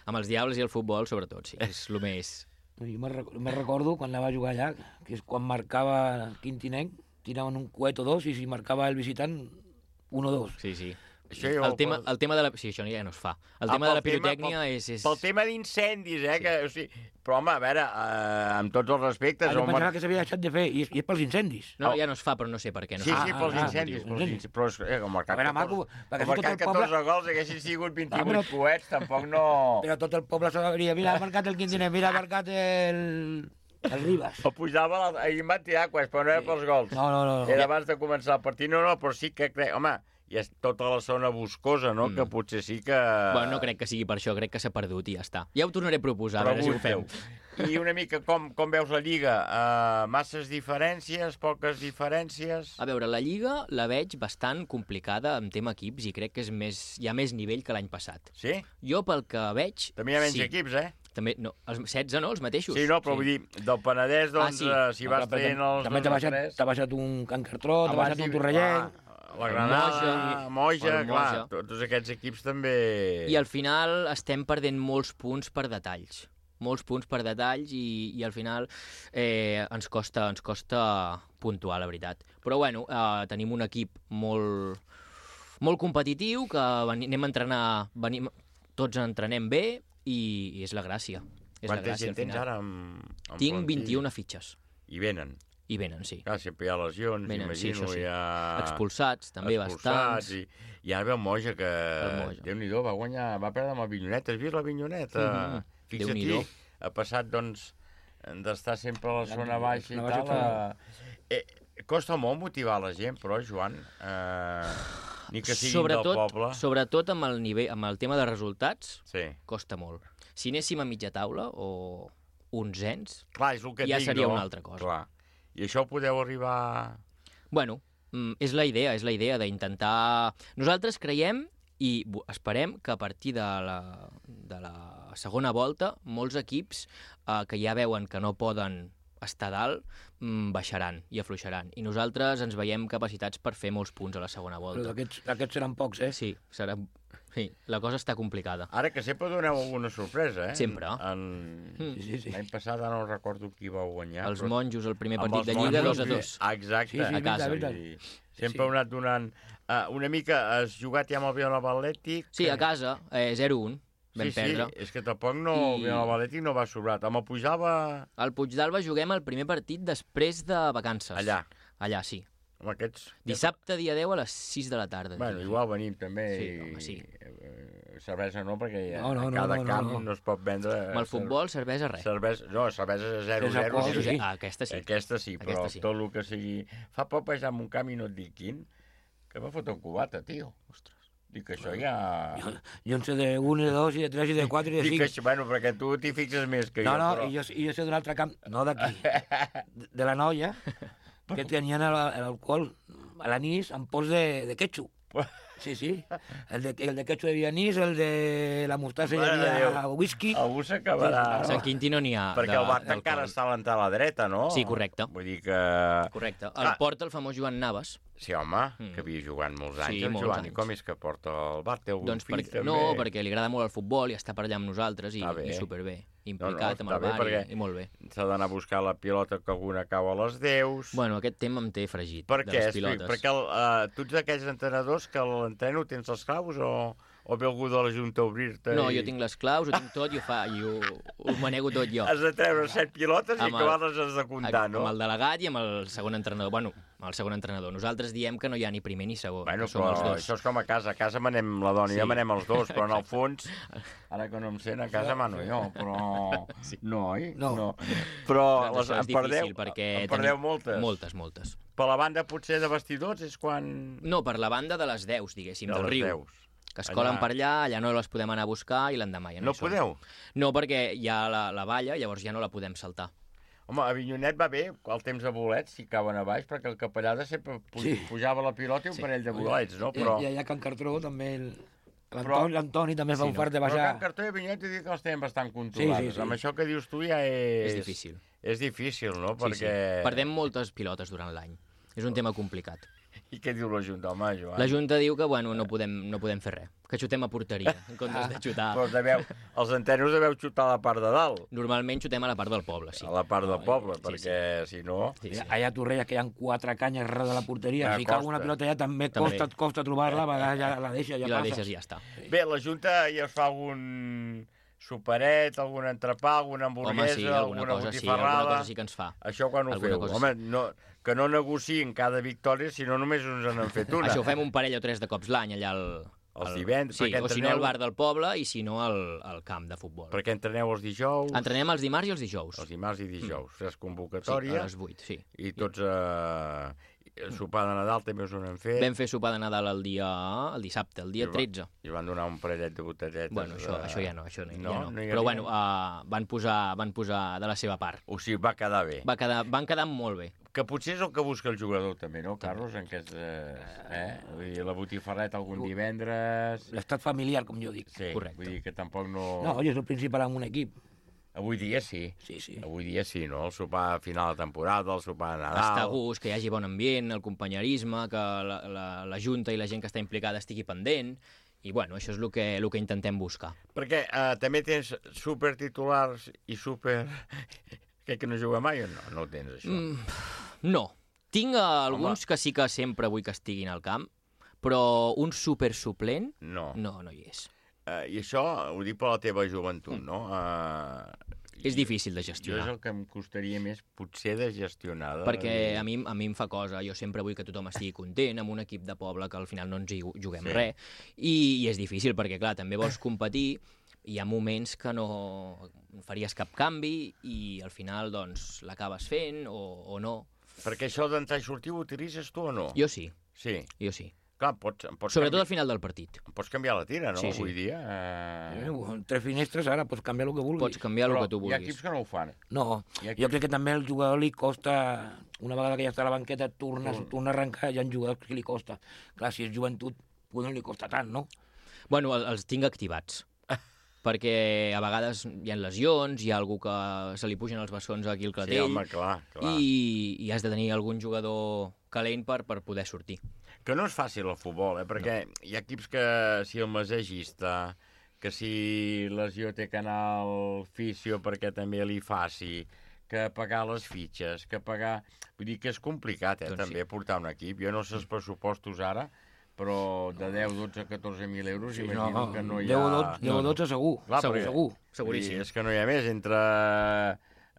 Amb els diables i el futbol, sobretot, sí. És el més... Jo me recordo quan anava a jugar allà, que és quan marcava Quintinenc, tiraven un coet o 2 i si marcava el visitant 1 o 2. Sí. El tema de la... Sí, això ja no es fa. El tema de la pirotècnia és... Pel tema d'incendis, que... O sigui, però, home, a veure, amb tots els respectes... Jo pensava que s'havia deixat de fer, i és pels incendis. No, ja no es fa, però no sé per què. Sí, pels incendis. Però com marcat 14 gols, haguessin sigut 28 coets, tampoc no... Però tot el poble sabria, mira, ha marcat el Quintinenc, mira, ha marcat el Ribas. O pujava, ahir em van tirar coets, però no era pels gols. No. Era abans de començar el partit, però sí que crec... Home, i és tota la zona boscosa, no? Que potser sí que... Bueno, no crec que sigui per això, crec que s'ha perdut i ja està. Ja ho tornaré a proposar, a veure si ho fem. I una mica com veus la Lliga? Masses diferències, poques diferències? A veure, la Lliga la veig bastant complicada en tema equips i crec que hi ha més nivell que l'any passat. Sí? Jo pel que veig... També hi ha menys equips, També, no, els 16, no? Els mateixos. Sí, no, però vull dir, del Penedès, doncs, si vas traient els... També t'ha baixat un Can Cartró, t'ha baixat un Torrellenc... La Granada, Moja, clar, tots aquests equips també... I al final estem perdent molts punts per detalls. Molts punts per detalls i al final ens costa puntuar, la veritat. Però bueno, tenim un equip molt competitiu, que anem a entrenar, tots entrenem bé i és la gràcia. Quanta gent tens ara? Tinc 21 fitxes. I venen? I venen, sí. Clar, sempre hi ha lesions, imagino, sí. hi ha... Expulsats, també bastants. I ara ve el Moja, que Déu-n'hi-do, va perdre amb el Vinyonet. Has vist la Vinyoneta? Fixa-t'hi, ha passat, doncs, d'estar sempre a la zona baixa i tal. Costa molt motivar la gent, però, Joan, ni que siguin del poble. Sobretot amb el tema de resultats, costa molt. Si anéssim a mitja taula o onzens, ja seria una altra cosa. Clar. I això ho podeu arribar... Bueno, és la idea d'intentar... Nosaltres creiem i esperem que a partir de la segona volta molts equips que ja veuen que no poden estar dalt baixaran i afluixaran. I nosaltres ens veiem capacitats per fer molts punts a la segona volta. Però aquests seran pocs, Sí, sí, la cosa està complicada. Ara que sempre doneu alguna sorpresa, Sempre. L'any passat no recordo qui va guanyar. Els monjos, el primer partit de Lliga, 2-2. Exacte. A casa. Sempre heu anat donant... Una mica, has jugat ja amb el Vilanova Atlètic? Sí, a casa, 0-1. Vam perdre. Sí, és que tampoc Vilanova Atlètic no va sobrat. Amb el Puigdàlber... Al Puigdàlber juguem el primer partit després de vacances. Allà, sí. Amb aquests... Dissabte, dia 10, a les 6 de la tarda. Bueno, igual venim també. Sí, home, sí. cervesa no, perquè a cada camp no es pot vendre... Amb el futbol, cervesa, res. Cervesa 0-0. Aquesta sí. Aquesta sí, però tot el que sigui... Fa poc vaig anar a un camp i no et dic quin, que va fotre un cubata, tio. Ostres. Dic que això ja... Jo en sé de 1, de 2, i de 3, i de 4, i de 5. Dic que això, bueno, perquè tu t'hi fixes més que jo. No, i jo sé d'un altre camp, no d'aquí, de la Noia, que tenien l'alcohol a l'anís amb pols de ketchup. Sí. El de ketchup hi havia anís, el de la mostassa hi havia whisky. Algú s'acabarà. A Sant Quintí no n'hi ha. Perquè el bar encara està a l'entrada a la dreta, no? Sí, correcte. Vull dir que... Correcte. El porta el famós Joan Navas. Sí, home, que havia jugat molts anys el Joan. I com és que porta el bar? Té algun fill, també? No, perquè li agrada molt el futbol i està per allà amb nosaltres i superbé. Implicat amb el bar i molt bé. S'ha d'anar a buscar la pilota que alguna cau a les 10. Bueno, aquest tema em té fregit, de les pilotes. Perquè tu ets d'aquells entrenadors que l'entreno tens les claus o ve algú de la Junta a obrir-te? No, jo tinc les claus, ho tinc tot i ho manego tot jo. Has de treure 7 pilotes i acabar-les has de comptar, no? Amb el delegat i amb el segon entrenador. Bueno, el segon entrenador. Nosaltres diem que no hi ha ni primer ni segon, que som els dos. Això és com a casa. A casa manem la dona i jo manem els dos, però en el fons, ara que no em sent, a casa mano jo, però... No, oi? No. Però en perdeu moltes. Moltes. Per la banda potser de vestidors és quan... No, per la banda de les 10, diguéssim, del riu. Que es colen per allà no les podem anar a buscar i l'endemà ja no hi són. No podeu? No, perquè hi ha la valla, llavors ja no la podem saltar. Home, a Avinyonet va bé, el temps de bolets, si cauen a baix, perquè el Capellada sempre pujava la pilota i un parell de bolets, no? I allà a Can Cartró també... L'Antoni també fa un fart de baixar. Però Can Cartró i Avinyonet dic que els tenen bastant controlades. Amb això que dius tu ja és... És difícil. És difícil, no? Perquè... Perdem moltes pilotes durant l'any. És un tema complicat. I què diu la Junta, home, Joan? La Junta diu que, bueno, no podem fer res, que xutem a porteria, en comptes de xutar... Però els entenos deveu xutar a la part de dalt. Normalment xutem a la part del poble, sí. A la part del poble, perquè si no... Allà a Torrella, que hi ha 4 canyes darrere de la porteria, si cau una pilota allà també costa trobar-la, ja la deixa, ja passa. I la deixes i ja està. Bé, la Junta ja us fa algun superet, algun entrepà, alguna hamburguesa, alguna botifarrada... Alguna cosa sí que ens fa. Això quan ho feu? Home, que no negociïn cada victòria, si no només ens n'han fet una. Això ho fem un parell o 3 de cops l'any, allà els divendres. Sí, o si no al bar del poble i si no al camp de futbol. Perquè entreneu els dijous? Entrenem els dimarts i els dijous. Els dimarts i dijous. Fes convocatòria. Sí, a les 8, sí. I tots... Sopar de Nadal també us ho hem fet. Vam fer sopar de Nadal el dissabte, el dia 13. I van donar un parellet de botelletes. Bueno, això ja no, Però bueno, van posar de la seva part. O sigui, va quedar bé. Van quedar molt bé. Que potser és el que busca el jugador també, no, Carlos? En aquest, vull dir, la botifarreta algun divendres... L'estat familiar, com jo dic. Sí, correcte. Vull dir que tampoc no... No, és el principal en un equip. Avui dia sí. Sí. Avui dia sí, no? El sopar a final de temporada, el sopar de Nadal... Està a gust, que hi hagi bon ambient, el companyerisme, que la Junta i la gent que està implicada estigui pendent, i bueno, això és el que intentem buscar. Perquè també tens supertitulars i super... que no juga mai o no? No ho tens, això? No. Tinc alguns que sí que sempre vull que estiguin al camp, però un supersuplent no hi és. I això ho dic per la teva joventut, no? És difícil de gestionar. Jo és el que em costaria més, potser, de gestionar. Perquè a mi em fa cosa. Jo sempre vull que tothom estigui content amb un equip de poble que al final no ens hi juguem res. I és difícil perquè, clar, també vols competir. Hi ha moments que no faries cap canvi i al final doncs l'acabes fent o no. Perquè això d'entrar i sortir ho utilitzes tu o no? Jo sí. Sí? Jo sí. Clar, sobretot al final del partit. Pots canviar la tira, no? Sí. Avui dia. Tres finestres, ara pots canviar el que vulguis. Pots canviar el que tu vulguis. Hi ha equips que no ho fan. No, jo crec que també al jugador li costa, una vegada que ja està a la banqueta, torna a arrencar, hi ha jugadors que li costa. Clar, si és joventut, no li costa tant, no? Bueno, els tinc activats. Perquè a vegades hi ha lesions, hi ha algú que se li pugen els bessons aquí al clatell. Sí, home, clar. I has de tenir algun jugador calent per poder sortir. Que no és fàcil el futbol, perquè hi ha equips que si el massagista, que si lesió té que anar al fisio perquè també li faci, que pagar les fitxes, que pagar... Vull dir que és complicat, també, portar un equip. Jo no sé els pressupostos ara, però de 10, 12, 14.000 euros imagino que no hi ha... 10 o 12 segur. Clar, segur. Seguríssim. És que no hi ha més. Entre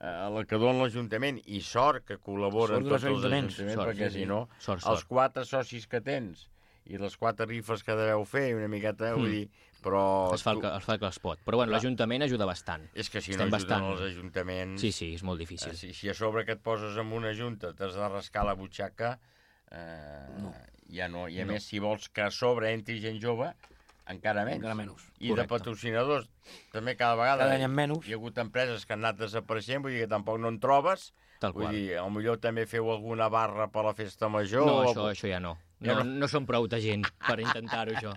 el que dona l'Ajuntament i sort que col·laboren tots els ajuntaments, perquè si no, els 4 socis que tens i les 4 rifes que deveu fer, una miqueta, vull dir, però... Es fa el que es pot. Però bueno, l'Ajuntament ajuda bastant. És que si no ajuden els ajuntaments... Sí, és molt difícil. Si a sobre que et poses en una junta t'has de rascar la butxaca, ja no. I a més, si vols que a sobre entri gent jove, encara menys. I de patrocinadors, també cada vegada hi ha hagut empreses que han anat desapareixent, vull dir que tampoc no en trobes. Vull dir, potser també feu alguna barra per la festa major. No, això ja no. No som prou de gent per intentar-ho, això.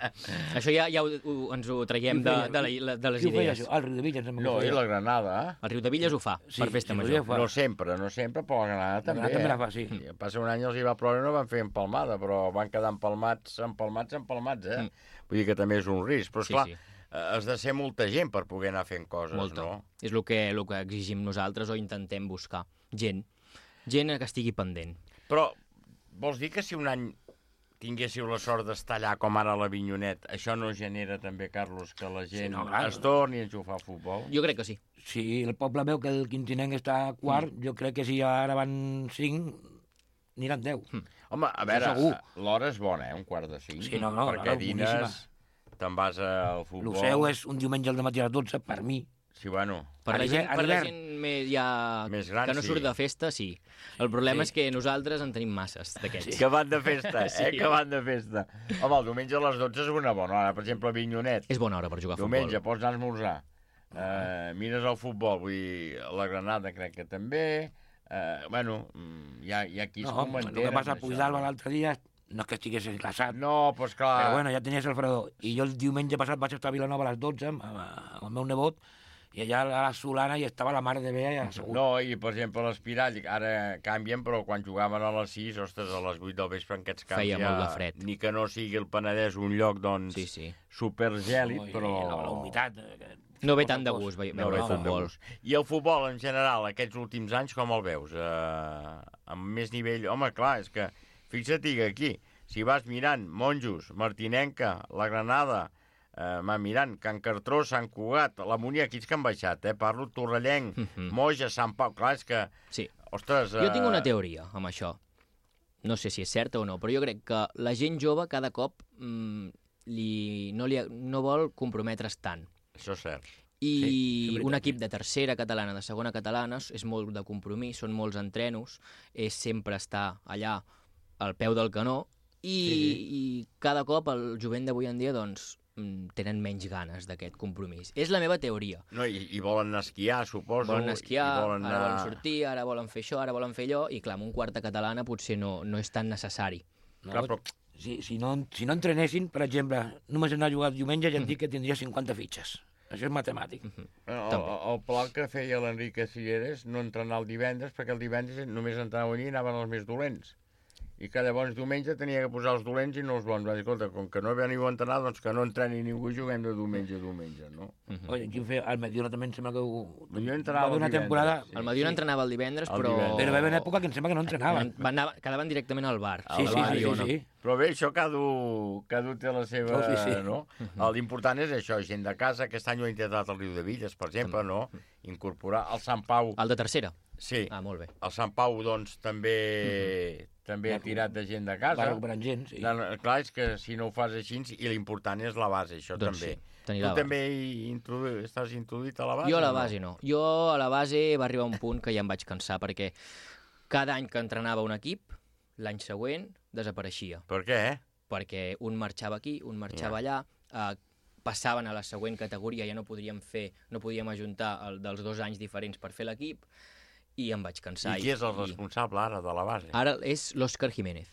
Això ja ens ho traiem de les idees. Qui ho feia, això? El Riudevilles. No, i la Granada. El Riudevilles ho fa, per festa major. No sempre, però la Granada també. La Granada també la fa, sí. Passa un any els hi va ploure i no van fer empalmada, però van quedar empalmats, Vull dir que també és un risc. Però, esclar, has de ser molta gent per poder anar fent coses, no? És el que exigim nosaltres o intentem buscar. Gent que estigui pendent. Però vols dir que si un any tinguéssiu la sort d'estar allà com ara a l'Avinyonet, això no genera també, Carlos, que la gent es torni a jugar a futbol? Jo crec que sí. Si el poble veu que el Quintinenc està quart, jo crec que si ara van 5, aniran 10. Home, a veure, l'hora és bona, 4:45. Sí, no, perquè dines, te'n vas al futbol... El seu és un diumenge al matí a les 12, per mi. Sí, bueno... Per la gent més gran, que no surt de festa, sí. El problema és que nosaltres en tenim masses d'aquests. Que van de festa, que van de festa. Home, el diumenge a les 12 és una bona hora. Per exemple, a Avinyonet. És bona hora per jugar a futbol. Diumenge pots anar a esmorzar. Mires el futbol, vull dir, la Granada crec que també. Bueno, hi ha qui es commentera. El que passa a Puigdalba l'altre dia no és que estigués glaçat. No, doncs clar... Però bueno, ja tenies el fredor. I jo el diumenge passat vaig estar a Vilanova a les 12 amb el meu nebot, i allà a la Solana hi estava la mare de Bea i assegut. No, i per exemple l'Espirall, ara canvien, però quan jugaven a les 6, ostres, a les 8 del vespre en aquests camps feia molt de fred. Ni que no sigui el Penedès un lloc, doncs, supergèlid, però... La humitat... No ve tant de gust veure el futbol. I el futbol, en general, aquests últims anys, com el veus? Amb més nivell... Home, clar, és que, fixa't que aquí, si vas mirant Monjos, Martinenca, la Granada... mirant, Can Cartró, Sant Cugat, la Munià, aquí que han baixat, parlo Torrellenc, Moja, Sant Pau, clar, és que... Sí. Ostres... Jo tinc una teoria amb això. No sé si és certa o no, però jo crec que la gent jove cada cop no vol comprometre's tant. Això és cert. I un equip de tercera catalana, de segona catalana, és molt de compromís, són molts entrenos, és sempre estar allà al peu del canó, i cada cop el jovent d'avui en dia, doncs, tenen menys ganes d'aquest compromís. És la meva teoria. No, i volen anar a esquiar, suposo. Volen esquiar, ara volen sortir, ara volen fer això, ara volen fer allò, i clar, amb un quarta catalana potser no és tan necessari. No, clar, però... Si no entrenessin, per exemple, només anar a jugar diumenge, ja et dic que tindria 50 fitxes. Això és matemàtic. El pla que feia l'Enrique Silleres no entrenar el divendres, perquè el divendres només entrenaven i anaven els més dolents. I que llavors diumenge tenia que posar els dolents i no els bons. Va dir, escolta, com que no veniu a entrenar, doncs que no entreni ningú i juguem de diumenge a diumenge, no? Oye, ¿quién fue? Al Mediona també em sembla que jo entrenava una temporada... El Mediona entrenava el divendres, però... Però va haver una època que em sembla que no entrenaven. Quedaven directament al bar. Sí. Però bé, això cada té la seva... No? L'important és això, gent de casa. Aquest any ho ha intentat el Riudevilles, per exemple, no? Incorporar el Sant Pau... El de tercera? Sí. Ah, molt bé. El Sant Pau, doncs, també ha tirat de gent de casa. Va recuperant gent, sí. Clar, és que si no ho fas així, i l'important és la base, això doncs també. Sí, tu també estàs introduït a la base? Jo a la base no. Jo a la base va arribar un punt que ja em vaig cansar, perquè cada any que entrenava un equip, l'any següent desapareixia. Per què? Perquè un marxava aquí, un marxava allà, passaven a la següent categoria, ja no podíem ajuntar dels 2 anys diferents per fer l'equip, i em vaig cansar. I qui és el responsable ara de la base? Ara és l'Òscar Jiménez.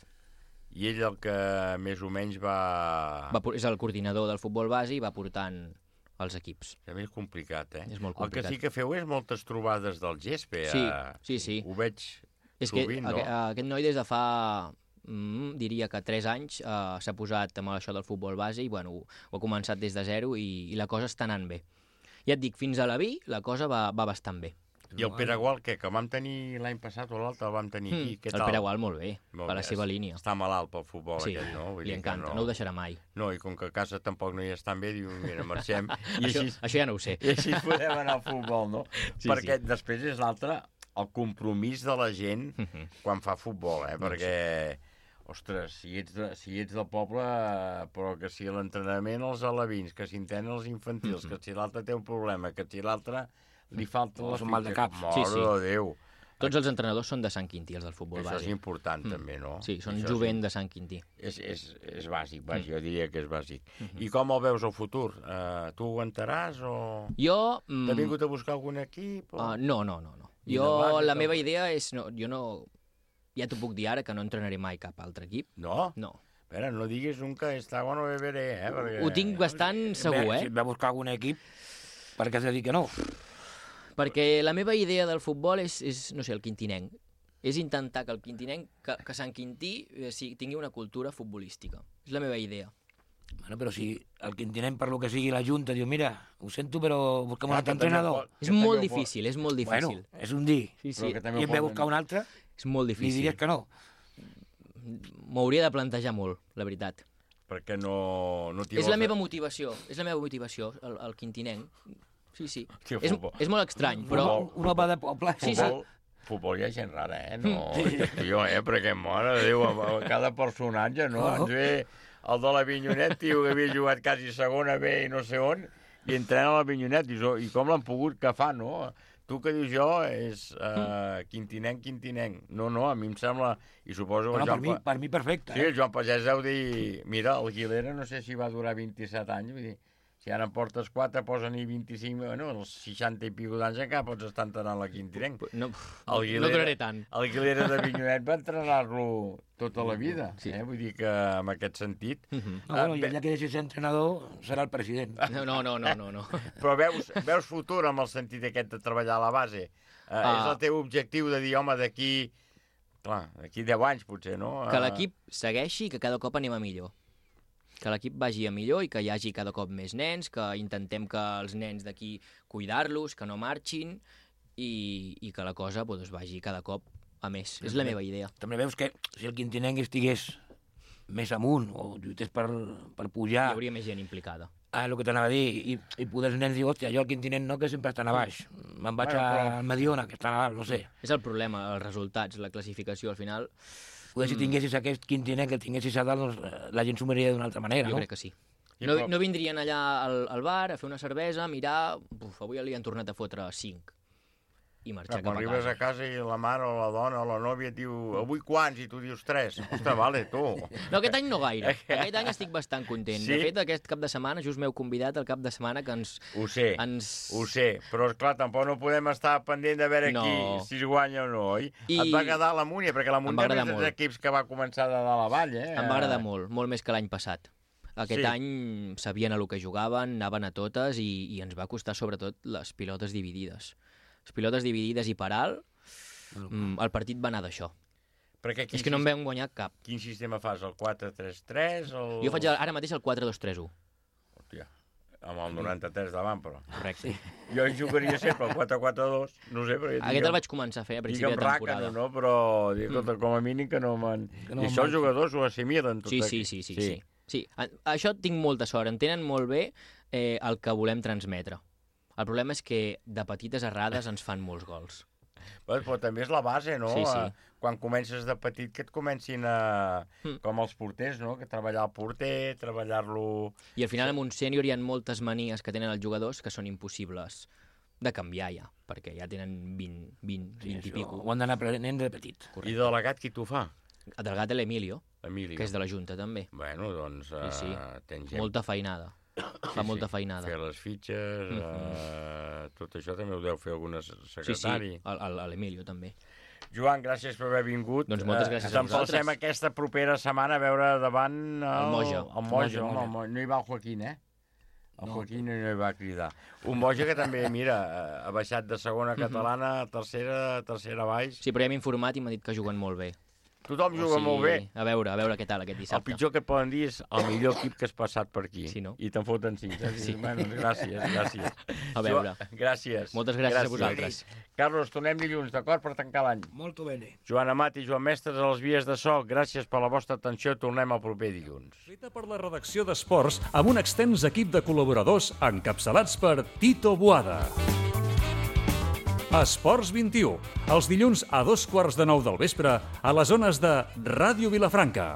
I ell el que més o menys és el coordinador del futbol base i va portant els equips. També és complicat, És molt complicat. El que sí que feu és moltes trobades del gespe. Sí. Ho veig sovint, no? Aquest noi des de fa... diria que 3 anys s'ha posat amb això del futbol base i ho ha començat des de zero i la cosa està anant bé. Ja et dic, fins a la Vi la cosa va bastant bé. I el Pere Gual, què? Que vam tenir l'any passat o l'altre, el vam tenir aquí. Què tal? El Pere Gual molt bé, per la seva línia. Està malalt pel futbol aquest, no? Li encanta, no ho deixarà mai. No, i com que a casa tampoc no hi estan bé, diu, mira, marxem. Això ja no ho sé. I així podem anar al futbol, no? Perquè després és l'altre, el compromís de la gent quan fa futbol, perquè... Ostres, si ets del poble, però que si l'entrenament els alevins, que si entenen els infantils, que si l'altre té un problema, que si l'altre li falta la fitxa... mal de cap. Mare de Déu. Tots els entrenadors són de Sant Quintí, els del futbol bàsic. Això és important, també, no? Sí, són jovent de Sant Quintí. És bàsic, jo diria que és bàsic. I com el veus al futur? Tu aguantaràs o... Jo... T'ha vingut a buscar algun equip? No. Jo, la meva idea és... Jo no... Ja t'ho puc dir ara, que no entrenaré mai cap altre equip. No? No. Espera, no diguis nunca esta agua no beberé, perquè... Ho tinc bastant segur, Si et va buscar algun equip, per què has de dir que no? Perquè la meva idea del futbol és no sé, el quintinenc. És intentar que el quintinenc, que Sant Quintí tingui una cultura futbolística. És la meva idea. Bueno, però si el quintinenc, per lo que sigui, la Junta diu, mira, ho sento, però busquem un altre entrenador. És molt difícil, és molt difícil. Bueno, és un dir. Sí. I et ve a buscar un altre, és molt difícil. li diries que no. M'ho hauria de plantejar molt, la veritat. Perquè no és la meva motivació, el quintinenc. Sí. És molt estrany, però... Un home de poble. Sí. Futbol hi ha gent rara, no? Jo, perquè, mare de Déu, cada personatge, no? Ens ve el de l'Avinyonet, tio, que havia jugat quasi segona B i no sé on, i entrena a l'Avinyonet, i com l'han pogut que fa, no? Tu que dius jo és quintinenc. No, a mi em sembla... I suposo que per mi perfecte. Sí, el Joan Pagès deu dir... Mira, el Guilera no sé si va durar 27 anys, vull dir... Si ara en portes 4, posen-hi 25... Bueno, els 60 i pico d'anys encara pots estar entrenant la quintinenc. No duraré tant. El Guilera de Vinyonet va entrenar-lo tota la vida. Vull dir que en aquest sentit... I allà que deixi ser entrenador serà el president. No. Però veus futur amb el sentit aquest de treballar a la base? És el teu objectiu de dir, home, d'aquí 10 anys potser, no? Que l'equip segueixi i que cada cop anem a millor. Que l'equip vagi a millor i que hi hagi cada cop més nens, que intentem que els nens d'aquí cuidar-los, que no marxin i que la cosa vagi cada cop a més. És la meva idea. També veus que si el quintinenc estigués més amunt o lluités per pujar... Hi hauria més gent implicada. El que t'anava a dir, i poder els nens dir, hòstia, jo al quintinenc no, que sempre estan a baix. Me'n vaig al Mediona, que estan a baix, no sé. És el problema, els resultats, la classificació, al final... Poder si tinguessis aquest quintinenc, que el tinguessis a dalt, doncs, la gent s'ho miraria d'una altra manera, no? Jo crec que sí. No vindrien allà al bar a fer una cervesa, mirar... Avui li han tornat a fotre 5. I marxar cap a casa. Quan arribes a casa i la mare o la dona o la nòvia et diu avui quants? I tu dius 3. Ostres, vale, tu. No, aquest any no gaire. Aquest any estic bastant content. Sí? De fet, aquest cap de setmana, just m'heu convidat el cap de setmana que ens... Ho sé, però esclar, tampoc no podem estar pendent de veure si es guanya o no, oi? Et va agradar la Múnia, perquè la Múnia és dels equips que va començar de dalt a avall, Em va agradar molt més que l'any passat. Aquest any sabien a lo que jugaven, anaven a totes i ens va costar sobretot les pilotes dividides. Les pilotes dividides i per alt, el partit va anar d'això. És que no en vam guanyar cap. Quin sistema fas? El 4-3-3? Jo faig ara mateix el 4-2-3-1. Hòstia, amb el 93 davant, però. Correcte. Jo hi jugaria sempre el 4-4-2, no sé, perquè... Aquest el vaig començar a fer a principi de temporada. No? Però com a mínim que no me'n... I això els jugadors ho assimilen tot aquí. Sí. Això tinc molta sort, entenen molt bé el que volem transmetre. El problema és que de petites errades ens fan molts gols. Però també és la base, no? Sí. Quan comences de petit que et comencin com els porters, no? Que treballar el porter, treballar-lo... I al final amb un sènior hi ha moltes manies que tenen els jugadors que són impossibles de canviar ja, perquè ja tenen 20 i pico. Ho han d'anar aprenent de petit. I de delegat qui t'ho fa? El delegat l'Emilio, que és de la Junta també. Bueno, doncs tens gent. Molta feinada. Fa molta feinada. Fer les fitxes, tot això també ho deu fer algun secretari. Sí, l'Emilio també. Joan, gràcies per haver vingut. Doncs moltes gràcies a vosaltres. T'empalcem aquesta propera setmana a veure davant el Moja. No hi va el Joaquín, El Joaquín no hi va cridar. Un Moja que també, mira, ha baixat de segona catalana a tercera baix. Sí, però ja m'he informat i m'ha dit que juguen molt bé. Tothom juga molt bé. A veure què tal aquest dissabte. El pitjor que et poden dir és el millor equip que has passat per aquí. Sí, no? I te'n foten 5. Sí. Bueno, gràcies. A veure. Gràcies. Moltes gràcies a vosaltres. Carlos, tornem dilluns, d'acord, per tancar l'any. Molto bene. Joan Amat i Joan Mestres a les vies de so. Gràcies per la vostra atenció. Tornem el proper dilluns. Feta per la redacció d'Esports amb un extens equip de col·laboradors encapçalats per Tito Boada. Esports 21, els dilluns a 2:15 del vespre a les zones de Ràdio Vilafranca.